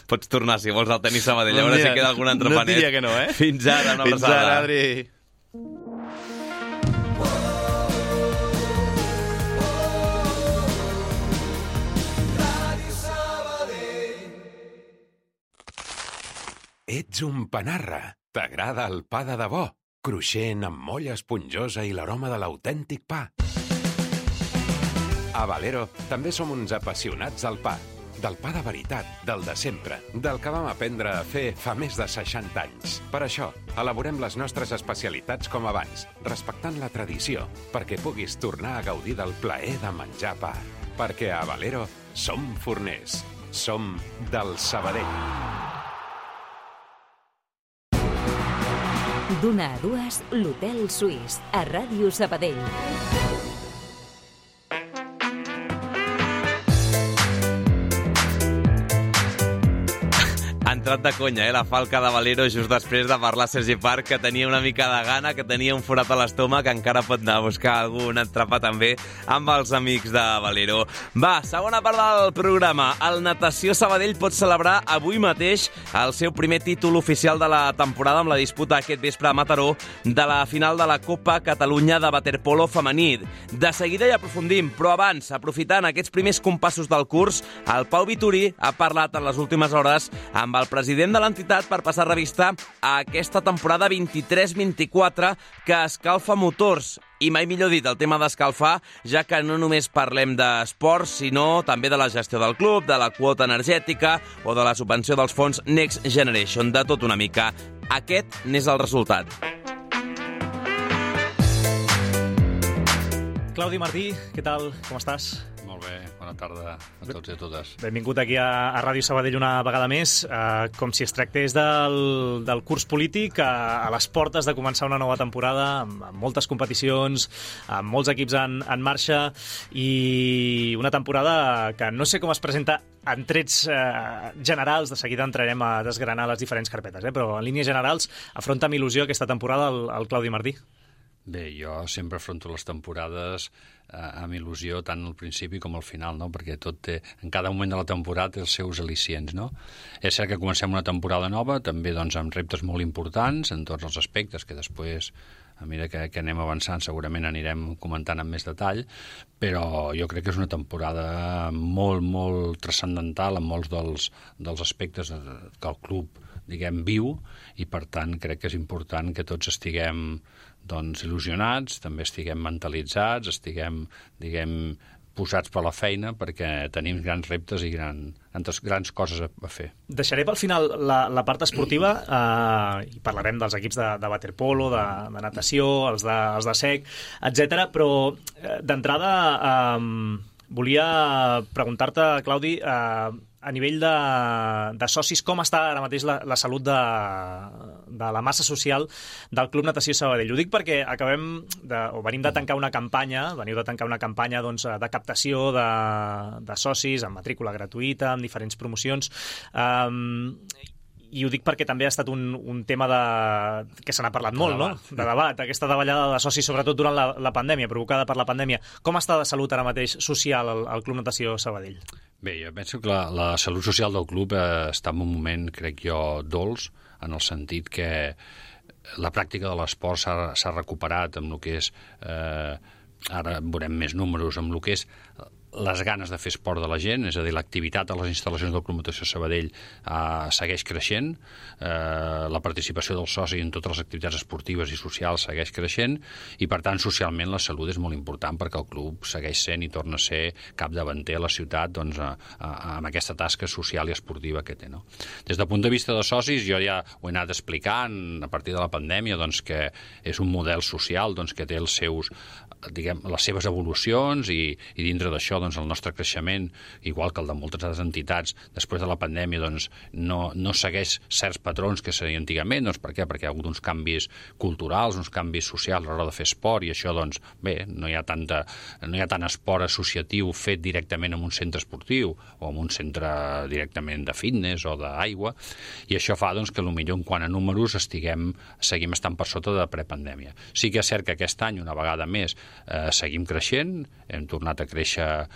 Pots tornar, si vols, al tenis Sabadell. A veure si queda algun entrepanet. No et diria que no, Fins ara, una abraçada. Fins ara, Adri. Ets un panarra. T'agrada el pa de debò? Cruixent, amb molla esponjosa i l'aroma de l'autèntic pa. A Valero també som uns apassionats del pa. Del pa de veritat, del de sempre, del que vam aprendre a fer fa més de 60 anys. Per això, elaborem les nostres especialitats com abans, respectant la tradició, perquè puguis tornar a gaudir del plaer de menjar pa. Perquè a Valero som forners. Som del Sabadell. D'una a dues, l'Hotel Suís, a Ràdio Sabadell. Ha entrat de conya, la falca de Valero just després de parlar Sergi Parc, que tenia una mica de gana, que tenia un forat a l'estómac, que encara pot anar a buscar algun entrepà també amb els amics de Valero. Va, segona part del programa. El Natació Sabadell pot celebrar avui mateix el seu primer títol oficial de la temporada amb la disputa aquest vespre a Mataró de la final de la Copa Catalunya de waterpolo femení. De seguida hi aprofundim, però abans, aprofitant aquests primers compassos del curs, el Pau Vitorí ha parlat en les últimes hores amb el president de l'entitat per passar revista a aquesta temporada 23-24 que escalfa motors. I mai millor dit, el tema d'escalfar, ja que no només parlem d'esports, sinó també de la gestió del club, de la quota energètica o de la subvenció dels fons Next Generation, de tot una mica. Aquest n'és el resultat. Claudi Martí, què tal? Com estàs? Molt bé, bona tarda a tots i a totes. Benvingut aquí a Ràdio Sabadell una vegada més, com si es tractés del curs polític a les portes de començar una nova temporada, amb moltes competicions, amb molts equips en marxa, i una temporada que no sé com es presenta en trets generals. De seguida entrarem a desgranar les diferents carpetes, però en línies generals afronta amb il·lusió aquesta temporada el Claudi Martí. Bé, jo sempre afronto les temporades amb il·lusió, tant al principi com al final, no? Perquè tot té, en cada moment de la temporada té els seus al·licients, no? És cert que comencem una temporada nova, també doncs, amb reptes molt importants en tots els aspectes, que després, a mesura que anem avançant, segurament anirem comentant amb més detall, però jo crec que és una temporada molt, molt transcendental en molts dels aspectes que el club, diguem, viu, i per tant crec que és important que tots estiguem il·lusionats, també estiguem mentalitzats, estiguem, diguem, posats per la feina, perquè tenim grans reptes i grans coses a fer. Deixaré pel final la part esportiva, i parlarem dels equips de waterpolo, de natació, els de sec, etc. Però d'entrada volia preguntar-te, Claudi, a nivell de socis, com està ara mateix la salut de la massa social del Club Natació Sabadell? Ho dic perquè venim de tancar una campanya, doncs, de captació de socis, amb matrícula gratuïta, amb diferents promocions, i ho dic perquè també ha estat un tema que se n'ha parlat molt, no? De debat, aquesta davallada de socis, sobretot durant la pandèmia, provocada per la pandèmia. Com està de salut ara mateix social el Club Natació Sabadell? Bé, jo penso que la salut social del club està en un moment, crec jo, dolç, en el sentit que la pràctica de l'esport s'ha recuperat amb el que és, ara veurem més números, amb el que és les ganes de fer esport de la gent, és a dir, l'activitat a les instal·lacions del Club Natació Sabadell segueix creixent, la participació del soci en totes les activitats esportives i socials segueix creixent, i per tant socialment la salut és molt important perquè el club segueix sent i torna a ser capdavanter a la ciutat, doncs, amb aquesta tasca social i esportiva que té, no? Des del punt de vista de socis, jo ja ho he anat explicant a partir de la pandèmia, doncs, que és un model social, doncs, que té els seus, les seves evolucions, i dintre d'això, doncs, el nostre creixement, igual que el de moltes altres entitats, després de la pandèmia, doncs, no segueix certs patrons que seria antigament. Doncs, per què? Perquè hi ha hagut uns canvis culturals, uns canvis socials a l'hora de fer esport, i això, doncs, bé, no hi ha tant esport associatiu fet directament en un centre esportiu o en un centre directament de fitness o d'aigua, i això fa, doncs, que potser en quant a números seguim estant per sota de prepandèmia. Sí que és cert que aquest any, una vegada més, seguim creixent, hem tornat a créixer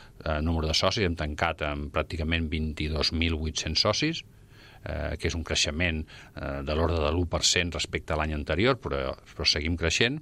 número de socis, hem tancat amb pràcticament 22.800 socis, que és un creixement de l'ordre de l'1% respecte a l'any anterior, però seguim creixent,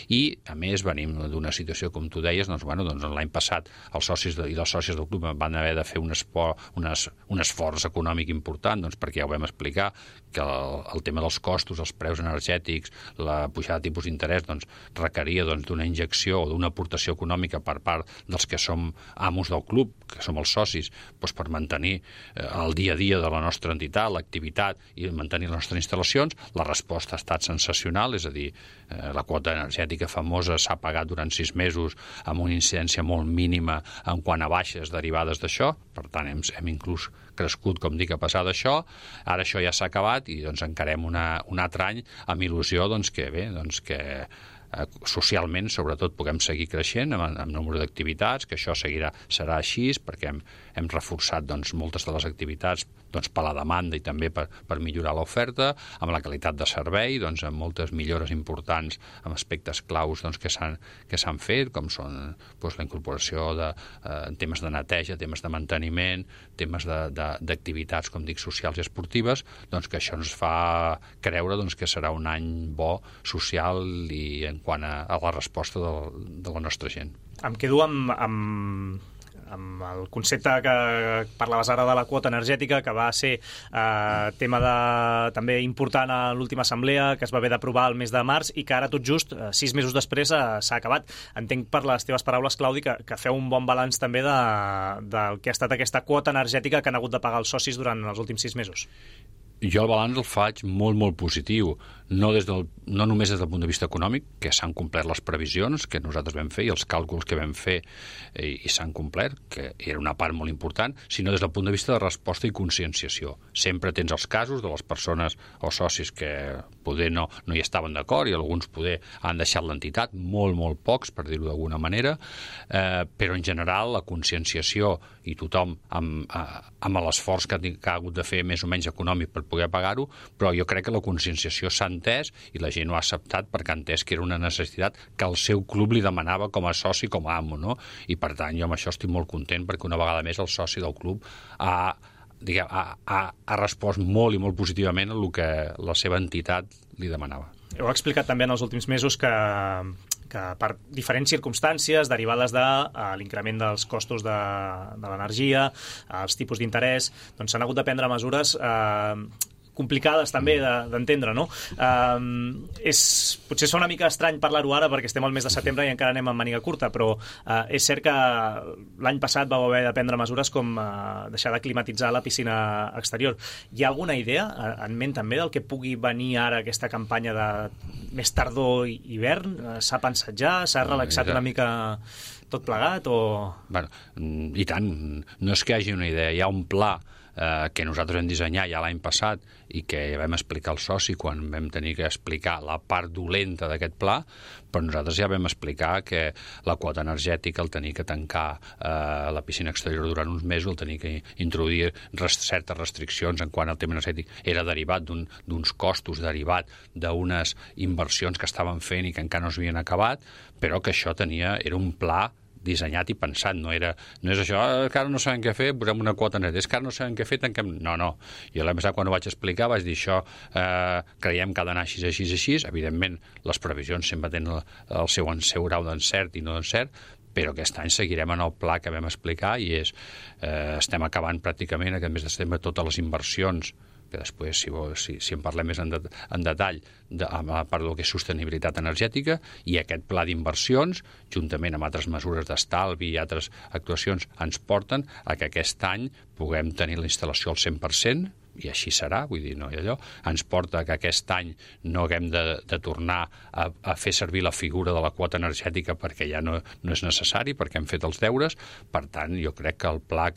i a més venim d'una situació, com tu deies, doncs l'any passat els socis i les sòcies del club van haver de fer un esforç econòmic important, doncs, perquè ja ho vam explicar, que el tema dels costos, els preus energètics, la pujada de tipus d'interès, doncs, requeria d'una injecció o d'una aportació econòmica per part dels que som amos del club, que som els socis, doncs, per mantenir el dia a dia de la nostra entitat, l'activitat i mantenir les nostres instal·lacions. La resposta ha estat sensacional, és a dir, la quota energètica famosa s'ha pagat durant 6 mesos amb una incidència molt mínima en quant a baixes derivades d'això, per tant hem inclús crescut, com dic, a passar d'això. Ara això ja s'ha acabat i doncs encarem un altre any amb il·lusió, doncs, que socialment, sobretot, puguem seguir creixent amb número d'activitats, que això serà així, perquè hem reforçat, doncs, moltes de les activitats, doncs, per la demanda i també per millorar l'oferta, amb la qualitat de servei, doncs, amb moltes millores importants amb aspectes claus, doncs, que s'han fet, com són, doncs, la incorporació de temes de neteja, temes de manteniment, temes d'activitats, com dic, socials i esportives, doncs, que això ens fa creure, doncs, que serà un any bo social i en quant a la resposta de la nostra gent. Em quedo amb el concepte que parlaves ara de la quota energètica, que va ser tema també important a l'última assemblea, que es va haver d'aprovar el mes de març i que ara tot just, 6 mesos després, s'ha acabat. Entenc per les teves paraules, Claudi, que feu un bon balanç també del que ha estat aquesta quota energètica que han hagut de pagar els socis durant els últims 6 mesos. Jo el balanç el faig molt, molt positiu, no només des del punt de vista econòmic, que s'han complert les previsions que nosaltres vam fer i els càlculs que vam fer i s'han complert, que era una part molt important, sinó des del punt de vista de resposta i conscienciació. Sempre tens els casos de les persones o socis que poder no hi estaven d'acord i alguns poder han deixat l'entitat, molt pocs, per dir-ho d'alguna manera, però en general la conscienciació i tothom amb l'esforç que ha hagut de fer més o menys econòmic per poder pagar-ho, però jo crec que la conscienciació s'ha entès i la gent ho ha acceptat perquè ha entès que era una necessitat que el seu club li demanava com a soci, com a amo, no? I per tant jo amb això estic molt content perquè una vegada més el soci del club ha respost molt i molt positivament a el que la seva entitat li demanava. Heu explicat també en els últims mesos que per diferents circumstàncies derivades de l'increment dels costos de l'energia, els tipus d'interès, doncs s'han hagut de prendre mesures complicades també d'entendre, no? Potser fa una mica estrany parlar-ho ara perquè estem al mes de setembre i encara anem amb màniga curta, però és cert que l'any passat vau haver de prendre mesures com deixar de climatitzar la piscina exterior. Hi ha alguna idea en ment també del que pugui venir ara aquesta campanya de més tardor i hivern? S'ha pensat ja? S'ha relaxat una mica tot plegat? Bueno, i tant, no és que hi hagi una idea, hi ha un pla que nosaltres vam dissenyar ja l'any passat i que vam explicar al soci quan vam tenir que explicar la part dolenta d'aquest pla, però nosaltres ja vam explicar que la quota energètica, el tenir que tancar la piscina exterior durant uns mesos, el tenir que introduir certes restriccions en quant al tema energètic, era derivat d'uns costos, derivat d'unes inversions que estaven fent i que encara no s'havien acabat, però que això era un pla dissenyat i pensat, no és això, que ara no sabem què fer, posem una quota net, és que ara no sabem què fer, tanquem... No. Jo l'any passat, quan ho vaig explicar, vaig dir això, creiem que ha d'anar així. Evidentment, les previsions sempre tenen el seu grau d'encert i no d'encert, però aquest any seguirem en el pla que vam explicar i estem acabant pràcticament aquest mes de setembre totes les inversions, que després, si en parlem més en detall, a part del que és sostenibilitat energètica, i aquest pla d'inversions, juntament amb altres mesures d'estalvi i altres actuacions, ens porten a que aquest any puguem tenir la instal·lació al 100%, i així serà, vull dir, no hi ha allò, ens porta que aquest any no haguem de tornar a fer servir la figura de la quota energètica perquè ja no és necessari, perquè hem fet els deures. Per tant, jo crec que el pla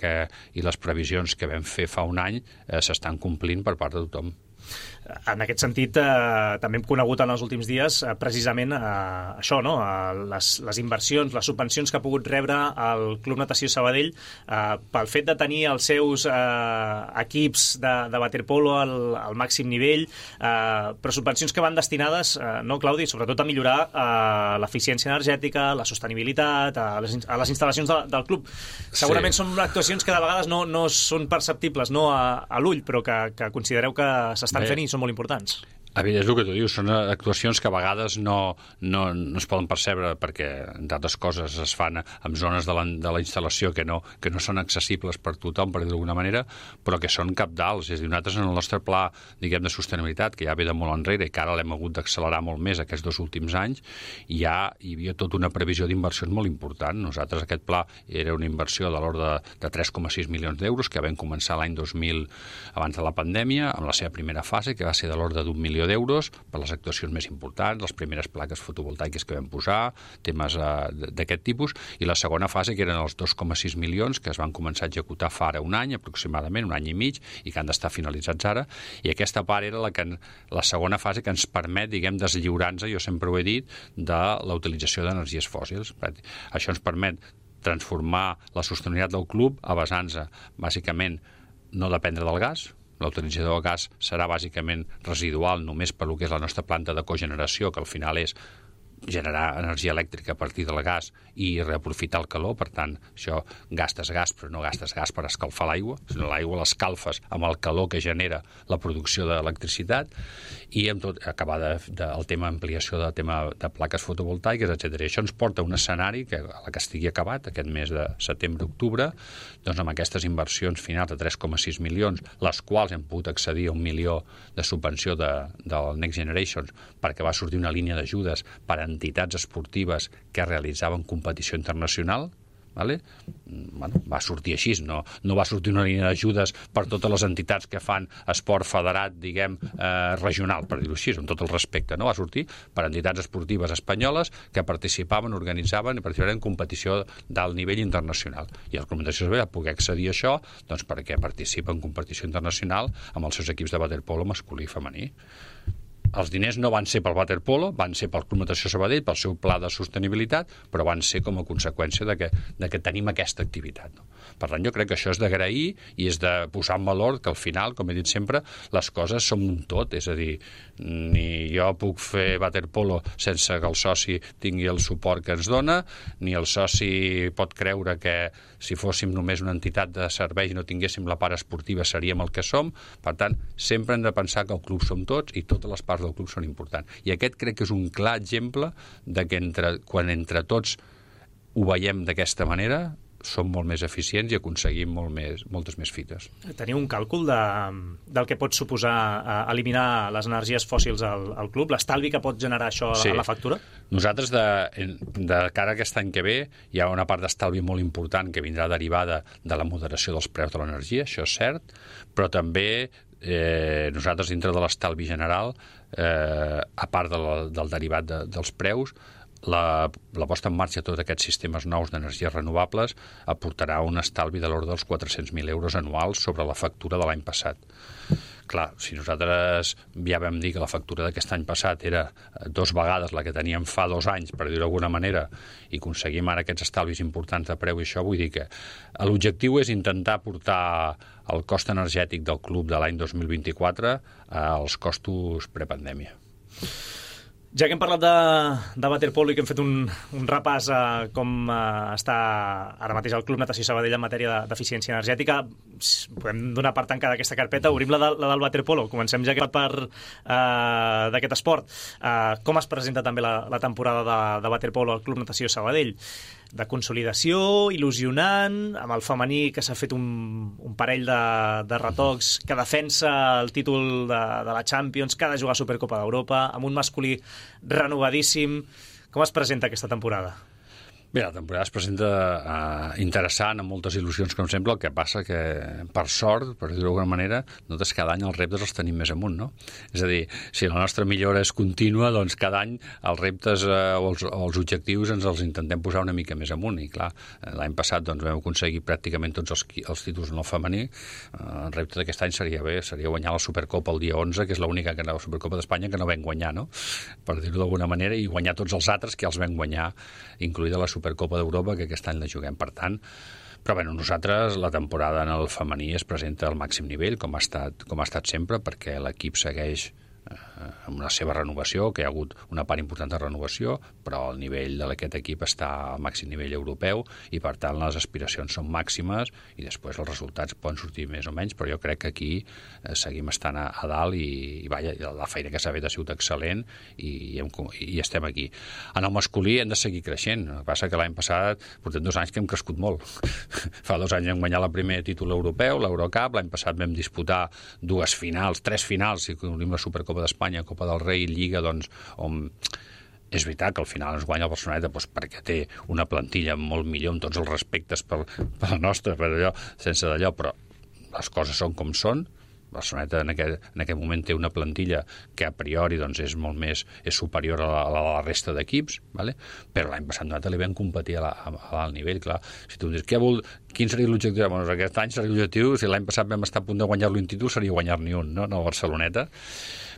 i les previsions que vam fer fa un any s'estan complint per part de tothom. En aquest sentit, també hem conegut en els últims dies precisament això, no? Les inversions, les subvencions que ha pogut rebre el Club Natació Sabadell pel fet de tenir els seus equips de waterpolo al màxim nivell, però subvencions que van destinades, no, Claudi, sobretot a millorar l'eficiència energètica, la sostenibilitat, a les instal·lacions del club. Segurament són actuacions que de vegades no són perceptibles a l'ull, però que considereu que s'estan fent i són molt importants. És el que tu dius, són actuacions que a vegades no es poden percebre perquè, entre altres coses, es fan en zones de la instal·lació que no són accessibles per tothom, per dir d'alguna manera, però que són cabdals. És a dir, nosaltres en el nostre pla, diguem, de sostenibilitat, que ja ve de molt enrere i que ara l'hem hagut d'accelerar molt més aquests 2 últims anys, hi havia tota una previsió d'inversions molt important. Nosaltres aquest pla era una inversió de l'ordre de 3,6 milions d'euros que vam començar l'any 2000 abans de la pandèmia, amb la seva primera fase, que va ser de l'ordre d'1 milió d'euros per les actuacions més importants, les primeres plaques fotovoltaiques que vam posar, temes d'aquest tipus, i la segona fase, que eren els 2,6 milions, que es van començar a executar fa ara un any, aproximadament, un any i mig, i que han d'estar finalitzats ara, i aquesta part era la segona fase que ens permet, diguem, deslliurar-nos, jo sempre ho he dit, de la utilització d'energies fòssils. Això ens permet transformar la sostenibilitat del club a basar-nos, bàsicament, no dependre del gas. La utilització del gas serà bàsicament residual només per lo que és la nostra planta de cogeneració, que al final és generar energia elèctrica a partir del gas i reaprofitar el calor. Per tant, això gastes gas, però no gastes gas per escalfar l'aigua, sinó l'aigua l'escalfes amb el calor que genera la producció d'electricitat, i amb tot acabar el tema ampliació de plaques fotovoltaiques, etc. Això ens porta a un escenari que a la que estigui acabat aquest mes de setembre-octubre, doncs amb aquestes inversions finals de 3,6 milions, les quals hem pogut accedir a 1 milió de subvenció del Next Generation, perquè va sortir una línia d'ajudes per a entitats esportives que realitzaven competició internacional, vale? Va sortir així, no va sortir una línia d'ajudes per totes les entitats que fan esport federat, diguem, regional, per dir-ho així, amb tot el respecte, no? Va sortir per entitats esportives espanyoles que participaven, organitzaven i participaven en competició d'alt nivell internacional. I el Club Natació Sabadell va poder accedir a això doncs, perquè participa en competició internacional amb els seus equips de waterpolo masculí i femení. Els diners no van ser pel waterpolo, van ser pel Club Natació Sabadell, pel seu pla de sostenibilitat, però van ser com a conseqüència de que tenim aquesta activitat. No? Per tant, jo crec que això és d'agrair i és de posar en valor que al final, com he dit sempre, les coses són un tot. És a dir, ni jo puc fer waterpolo sense que el soci tingui el suport que ens dona, ni el soci pot creure que si fóssim només una entitat de serveis i no tinguéssim la part esportiva seríem el que som. Per tant, sempre hem de pensar que el club som tots i totes les parts del club són importants. I aquest crec que és un clar exemple de que quan entre tots ho veiem d'aquesta manera, som molt més eficients i aconseguim moltes més fites. Teniu un càlcul del que pot suposar eliminar les energies fòssils al club, l'estalvi que pot generar això a la factura? Nosaltres, de cara a aquest any que ve, hi ha una part d'estalvi molt important que vindrà derivada de la moderació dels preus de l'energia, això és cert, però també nosaltres, dintre de l'estalvi general, a part del derivat dels preus, la posta en marxa de tots aquests sistemes nous d'energies renovables aportarà un estalvi de l'ordre dels 400.000 euros anuals sobre la factura de l'any passat. Clar, si nosaltres ja vam dir que la factura d'aquest any passat era 2 vegades la que teníem fa 2 anys, per dir-ho d'alguna manera, i aconseguim ara aquests estalvis importants de preu i això, vull dir que l'objectiu és intentar portar el cost energètic del club de l'any 2024 als costos prepandèmia. Ja que hem parlat de waterpolo i que hem fet un repàs a com està ara mateix el Club Natació Sabadell en matèria d'eficiència energètica, podem donar per tancada aquesta carpeta. Obrim la del waterpolo. Comencem ja per d'aquest esport. Com es presenta també la temporada de waterpolo al Club Natació Sabadell? De consolidació, il·lusionant, amb el femení que s'ha fet un parell de retocs, que defensa el títol de la Champions, que ha de jugar a Supercopa d'Europa, amb un masculí renovadíssim. Com es presenta aquesta temporada? Bé, la temporada es presenta interessant, amb moltes il·lusions, com sempre. El que passa que, per sort, per dir-ho d'alguna manera, nosaltres cada any els reptes els tenim més amunt, no? És a dir, si la nostra millora és contínua, doncs cada any els reptes o els objectius ens els intentem posar una mica més amunt. I clar, l'any passat doncs, vam aconseguir pràcticament tots els títols en el femení. El repte d'aquest any seria guanyar la Supercopa el dia 11, que és l'única la Supercopa d'Espanya que no vam guanyar, no? Per dir-ho d'alguna manera, i guanyar tots els altres que els vam guanyar, incloïda la Supercopa d'Europa, que aquest any la juguem. Per tant, però bé, nosaltres la temporada en el femení es presenta al màxim nivell, com ha estat sempre, perquè l'equip segueix amb la seva renovació, que hi ha hagut una part important de renovació, però el nivell d'aquest equip està al màxim nivell europeu i per tant les aspiracions són màximes i després els resultats poden sortir més o menys, però jo crec que aquí seguim estant a dalt i la feina que s'ha fet ha sigut excel·lent i estem aquí. En el masculí hem de seguir creixent, el que passa que l'any passat portem 2 anys que hem crescut molt. Fa 2 anys vam guanyar el primer títol europeu, l'Eurocup, l'any passat vam disputar 3 finals, si incloem la Supercopa d'Espanya, Copa del Rei, Lliga, doncs, on és veritat que al final ens guanya el Barceloneta perquè té una plantilla molt millor amb tots els respectes per la nostra, sense d'allò, però les coses són com són. Barceloneta en aquest moment té una plantilla que a priori doncs, és superior a la resta d'equips, ¿vale? Però l'any passat nosaltres li vam competir a l'alt nivell. Clar, si tu em dius quin seria l'objectiu? Bueno, aquest any seria l'objectiu, si l'any passat vam estar a punt de guanyar-lo un títol, seria guanyar-ne un, no? No el Barceloneta.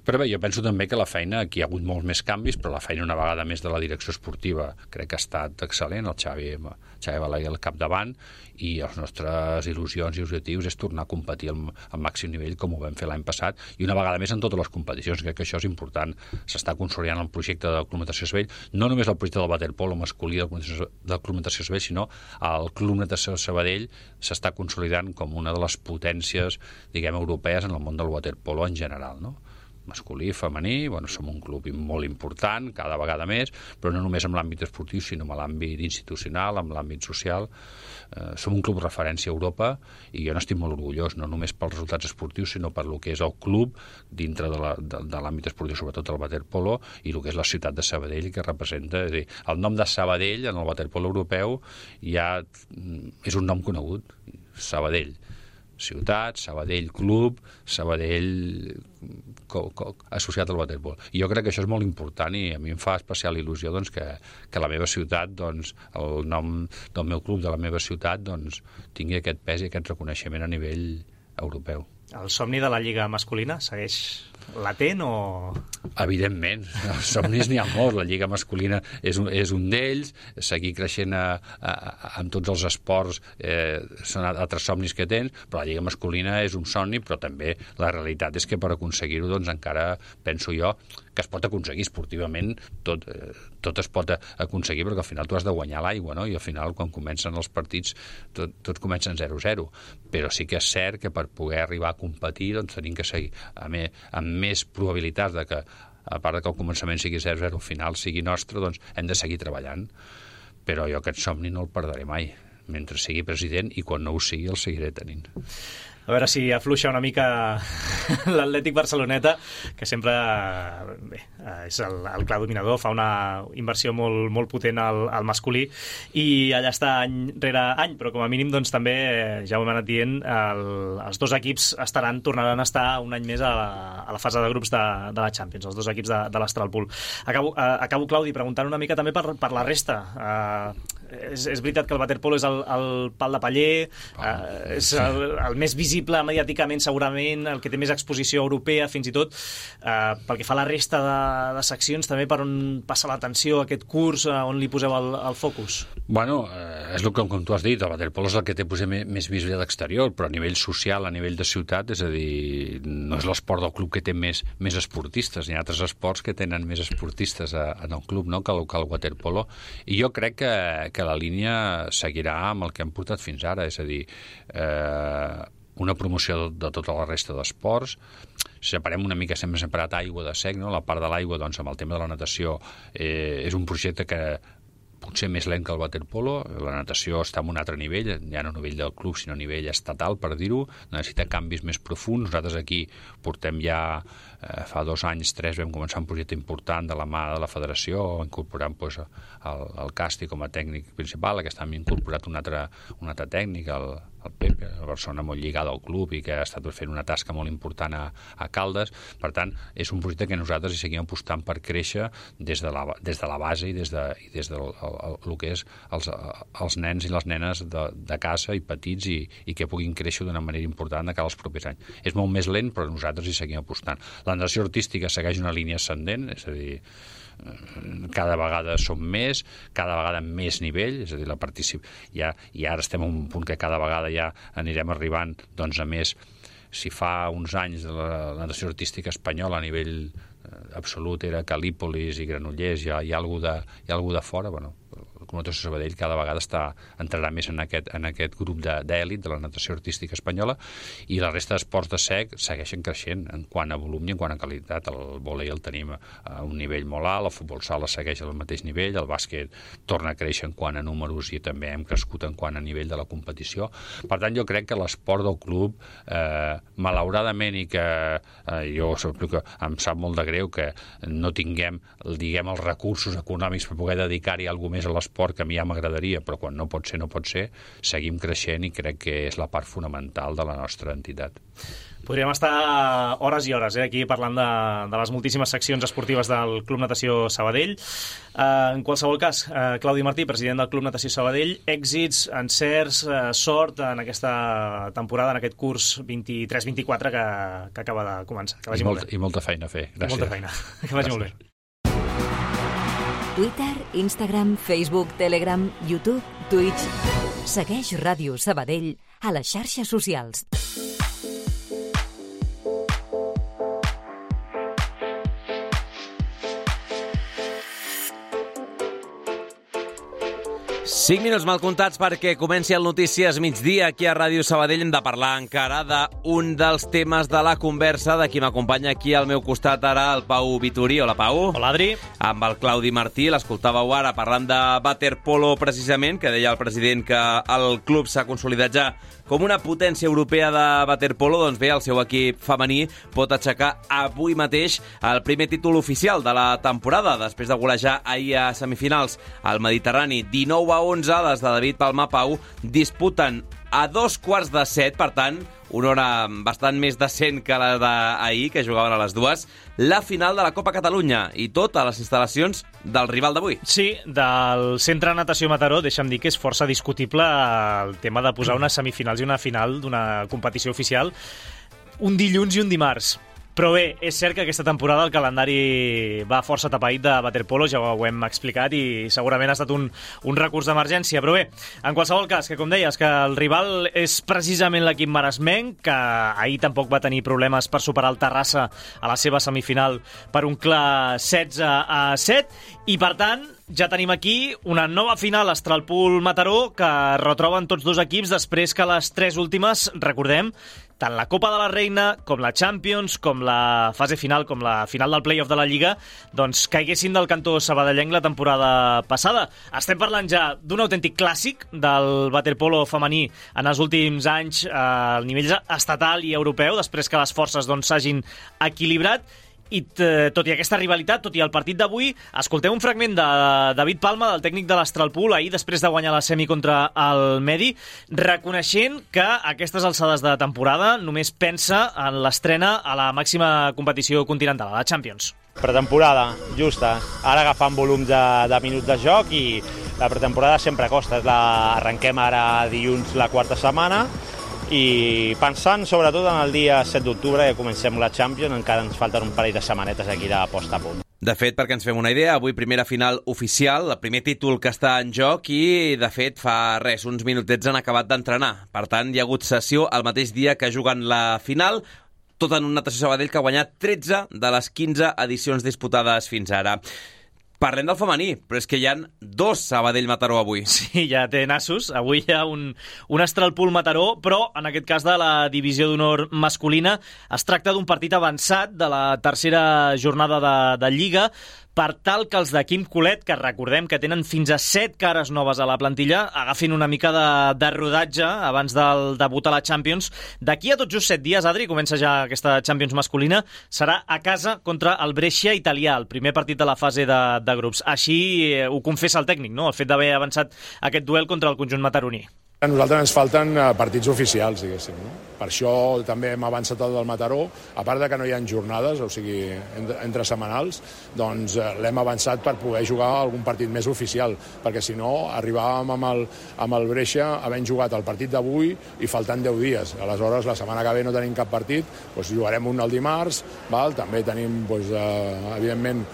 Però bé, jo penso també que la feina, aquí hi ha hagut molts més canvis, però la feina una vegada més de la direcció esportiva crec que ha estat excel·lent, el Xavi Balaguer al capdavant, i les nostres il·lusions i objectius és tornar a competir al màxim nivell com ho vam fer l'any passat, i una vegada més en totes les competicions. Crec que això és important. S'està consolidant el projecte del Club Natació Sabadell, no només el projecte del waterpolo masculí del Club Natació Sabadell, sinó el Club Natació Sabadell s'està consolidant com una de les potències, diguem, europees en el món del waterpolo en general, no? Masculí, femení, som un club molt important, cada vegada més, però no només en l'àmbit esportiu, sinó en l'àmbit institucional, en l'àmbit social. Som un club referència a Europa i jo n'estic molt orgullós, no només pels resultats esportius, sinó per lo que és el club dintre de l'àmbit esportiu, sobretot el waterpolo, i el que és la ciutat de Sabadell, que representa... És a dir, el nom de Sabadell en el waterpolo europeu ja és un nom conegut, Sabadell. Ciutat, Sabadell Club, Sabadell associat al waterpolo. I jo crec que això és molt important i a mi em fa especial il·lusió doncs, que la meva ciutat, doncs, el nom del meu club de la meva ciutat doncs, tingui aquest pes i aquest reconeixement a nivell europeu. El somni de la Lliga masculina segueix latent o...? Evidentment, els somnis n'hi ha molts. La Lliga masculina és un d'ells, seguir creixent en tots els esports són altres somnis que tens, però la Lliga masculina és un somni, però també la realitat és que per aconseguir-ho doncs encara penso jo que es pot aconseguir esportivament, tot es pot aconseguir, perquè al final tu has de guanyar l'aigua, no? I al final quan comencen els partits tots comencen 0-0, però sí que és cert que per poder arribar a competir doncs tenim que seguir amb més probabilitats de que, a part que al començament sigui 0-0, al final sigui nostre, doncs hem de seguir treballant. Però jo aquest somni no el perdré mai, mentre sigui president, i quan no ho sigui el seguiré tenint. A veure si afluixa una mica l'Atlètic Barceloneta, que sempre és el clar dominador, fa una inversió molt potent al masculí i allà està any rere any, però com a mínim doncs, també, ja ho hem anat dient, els dos equips tornaran a estar un any més a la fase de grups de la Champions, els dos equips de l'Astralpool. Acabo, Claudi, preguntant una mica també per la resta. és veritat que el waterpolo és el pal de paller, és el més visible mediàticament segurament, el que té més exposició europea fins i tot, pel que fa a la resta de seccions també per on passa l'atenció aquest curs, on li poseu el focus? Bueno, és el que, com tu has dit, el waterpolo és el que té potser més visibilitat exterior, però a nivell social, a nivell de ciutat, és a dir, no és l'esport del club que té més esportistes, hi ha altres esports que tenen més esportistes en el club, no?, que el waterpolo, i jo crec que la línia seguirà amb el que hem portat fins ara, és a dir, una promoció de tota la resta d'esports. Separem una mica, sempre separat aigua de sec, no? La part de l'aigua, doncs, amb el tema de la natació, és un projecte que potser més lent que el waterpolo. La natació està en un altre nivell, ja no a nivell del club, sinó a nivell estatal, per dir-ho. Necessita canvis més profunds. Nosaltres aquí portem ja, fa 2 anys, 3, vam començar un projecte important de la mà de la federació, incorporant pues, el Casti com a tècnic principal. Aquest any hem incorporat un altre tècnic, el Pepe, una persona molt lligada al club i que ha estat fent una tasca molt important a Caldes. Per tant, és un projecte que nosaltres hi seguim apostant per créixer des de la base i des del el que és els nens i les nenes de casa i petits i que puguin créixer d'una manera important de cara als propers anys. És molt més lent, però nosaltres hi seguim apostant. La natació artística segueix una línia ascendent, és a dir, cada vegada som més, cada vegada amb més nivell, és a dir, i ara estem en un punt que cada vegada ja anirem arribant doncs, a més. Si fa uns anys la natació artística espanyola a nivell absolut era Calípolis i Granollers, hi ha algú de fora, bueno, el Club Natació Sabadell cada vegada entrarà més en aquest grup d'èlit de la natació artística espanyola, i la resta d'esports de sec segueixen creixent en quant a volum i en quant a qualitat. El vòlei el tenim a un nivell molt alt, el futbol sala segueix al mateix nivell, el bàsquet torna a créixer en quant a números i també hem crescut en quant a nivell de la competició. Per tant, jo crec que l'esport del club, malauradament, i que jo em sap molt de greu que no tinguem, diguem, els recursos econòmics per poder dedicar-hi alguna més a l'esport, que a mi ja m'agradaria, però quan no pot ser, seguim creixent i crec que és la part fonamental de la nostra entitat. Podríem estar hores i hores aquí parlant de les moltíssimes seccions esportives del Club Natació Sabadell. En qualsevol cas, Claudi Martí, president del Club Natació Sabadell, èxits, encerts, sort en aquesta temporada, en aquest curs 23-24 que acaba de començar. Que vagi molt bé. I molta feina a fer. Gràcies. I molta feina. Que vagi molt bé. Twitter, Instagram, Facebook, Telegram, YouTube, Twitch. Segueix Ràdio Sabadell a les xarxes socials. Cinc minuts mal comptats perquè comenci el Notícies Migdia aquí a Ràdio Sabadell. Hem de parlar encara d'un dels temes de la conversa de qui m'acompanya aquí al meu costat ara, el Pau Vitorí. Hola, Pau. Hola, Adri. Amb el Claudi Martí, l'escoltàveu ara parlant de waterpolo precisament, que deia el president que el club s'ha consolidat ja com una potència europea de waterpolo. Doncs bé, el seu equip femení pot aixecar avui mateix el primer títol oficial de la temporada, després de golejar ahir a semifinals al Mediterrani 19-11. Les de David Palma, Pau, disputen a 6:45, per tant, una hora bastant més decent que la d'ahir, que jugaven a les 2, la final de la Copa Catalunya, i tot a les instal·lacions del rival d'avui. Sí, del Centre Natació Mataró. Deixa'm dir que és força discutible el tema de posar unes semifinals i una final d'una competició oficial un dilluns i un dimarts. Però bé, és cert que aquesta temporada el calendari va força tapaït de waterpolo, ja ho hem explicat, i segurament ha estat un recurs d'emergència. Però bé, en qualsevol cas, que com deies, que el rival és precisament l'equip maresmenc, que ahir tampoc va tenir problemes per superar el Terrassa a la seva semifinal per un clar 16-7, i per tant ja tenim aquí una nova final Estralpool-Mataró que retroben tots dos equips després que les 3 últimes, recordem, tant la Copa de la Reina, com la Champions, com la fase final, com la final del play-off de la Lliga, doncs caiguessin del cantó sabadellenc la temporada passada. Estem parlant ja d'un autèntic clàssic del waterpolo femení en els últims anys al nivell estatal i europeu, després que les forces s'hagin equilibrat. I tot i aquesta rivalitat, tot i el partit d'avui, escolteu un fragment de David Palma, del tècnic de l'Estralpool, ahir després de guanyar la semi contra el Medi, reconeixent que a aquestes alçades de temporada només pensa en l'estrena a la màxima competició continental, a la Champions. Pretemporada, justa. Ara agafant volums de minuts de joc i La pretemporada sempre costa, arrenquem ara dilluns la quarta setmana i pensant sobretot en el dia 7 d'octubre que comencem la Champions, encara ens falten un parell de setmanetes aquí de post a punt. De fet, perquè ens fem una idea, avui primera final oficial, el primer títol que està en joc i, de fet, fa uns minutets han acabat d'entrenar. Per tant, hi ha hagut sessió el mateix dia que juguen la final, tot en un Natació Sabadell que ha guanyat 13 de les 15 edicions disputades fins ara. Parlem del femení, però és que hi ha 2 Sabadell-Mataró avui. Sí, ja té nassos. Avui hi ha un Estralpul-Mataró, però en aquest cas de la divisió d'honor masculina es tracta d'un partit avançat de la tercera jornada de Lliga, per tal que els de Quim Colet, que recordem que tenen fins a 7 cares noves a la plantilla, agafin una mica de rodatge abans del debut a la Champions. D'aquí a tot just 7 dies, Adri, comença ja aquesta Champions masculina, serà a casa contra el Brescia italià, el primer partit de la fase de grups. Així ho confessa el tècnic, no?, el fet d'haver avançat aquest duel contra el conjunt mataroní. A nosaltres ens falten partits oficials, diguéssim, no? Per això també hem avançat el del Mataró, a part de que no hi ha jornades, o sigui, entre setmanals, doncs l'hem avançat per poder jugar algun partit més oficial, perquè si no arribàvem amb el Brescia havent jugat el partit d'avui i faltant 10 dies. Aleshores, la setmana que ve no tenim cap partit, doncs jugarem un el dimarts, també tenim, evidentment,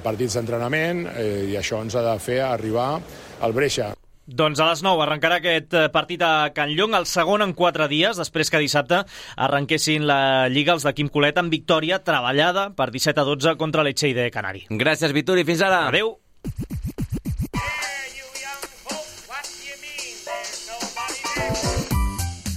partits d'entrenament i això ens ha de fer arribar al Brescia. Doncs a les 9 arrencarà aquest partit a Can Llong, el segon en 4 dies, després que dissabte arrenquessin la Lliga els de Quim Colet amb victòria treballada per 17-12 contra l'Elche de Canari. Gràcies, Vituri. Fins ara. Adéu.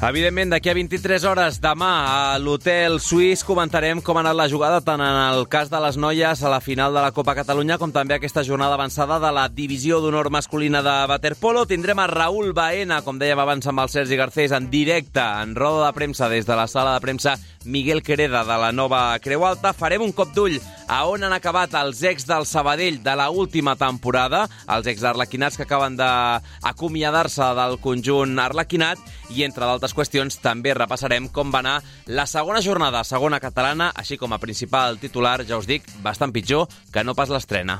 Evidentment, d'aquí a 23 hores, demà a l'Hotel Suís comentarem com ha anat la jugada tant en el cas de les noies a la final de la Copa Catalunya com també aquesta jornada avançada de la divisió d'honor masculina de waterpolo. Tindrem a Raúl Baena, com dèiem abans amb el Sergi Garcés, en directe, en roda de premsa des de la sala de premsa Miguel Quereda de la nova Creu Alta. Farem un cop d'ull a on han acabat els ex del Sabadell de la última temporada, els ex arlequinats que acaben d'acomiadar-se del conjunt arlequinat, i entre d'altres qüestions també repassarem com va anar la segona jornada, segona catalana, així com a principal titular, ja us dic, bastant pitjor que no pas l'estrena.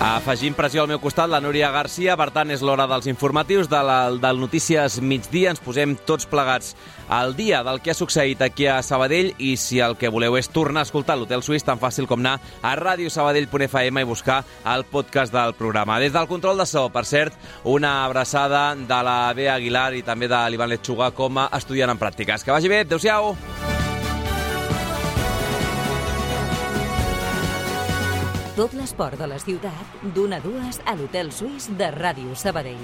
Afegim pressió al meu costat la Núria Garcia, per tant és l'hora dels informatius del Notícies Migdia. Ens posem tots plegats al dia del que ha succeït aquí a Sabadell i si el que voleu és tornar a escoltar l'Hotel Suís, tan fàcil com anar a radiosabadell.fm i buscar el podcast del programa. Des del control de so, per cert, una abraçada de la Bea Aguilar i també de l'Ivan Lechuga com a estudiant en pràctiques. Que vagi bé, adéu-siau! Tot l'esport de la ciutat, d'1 a 2 a l'Hotel Suís de Ràdio Sabadell.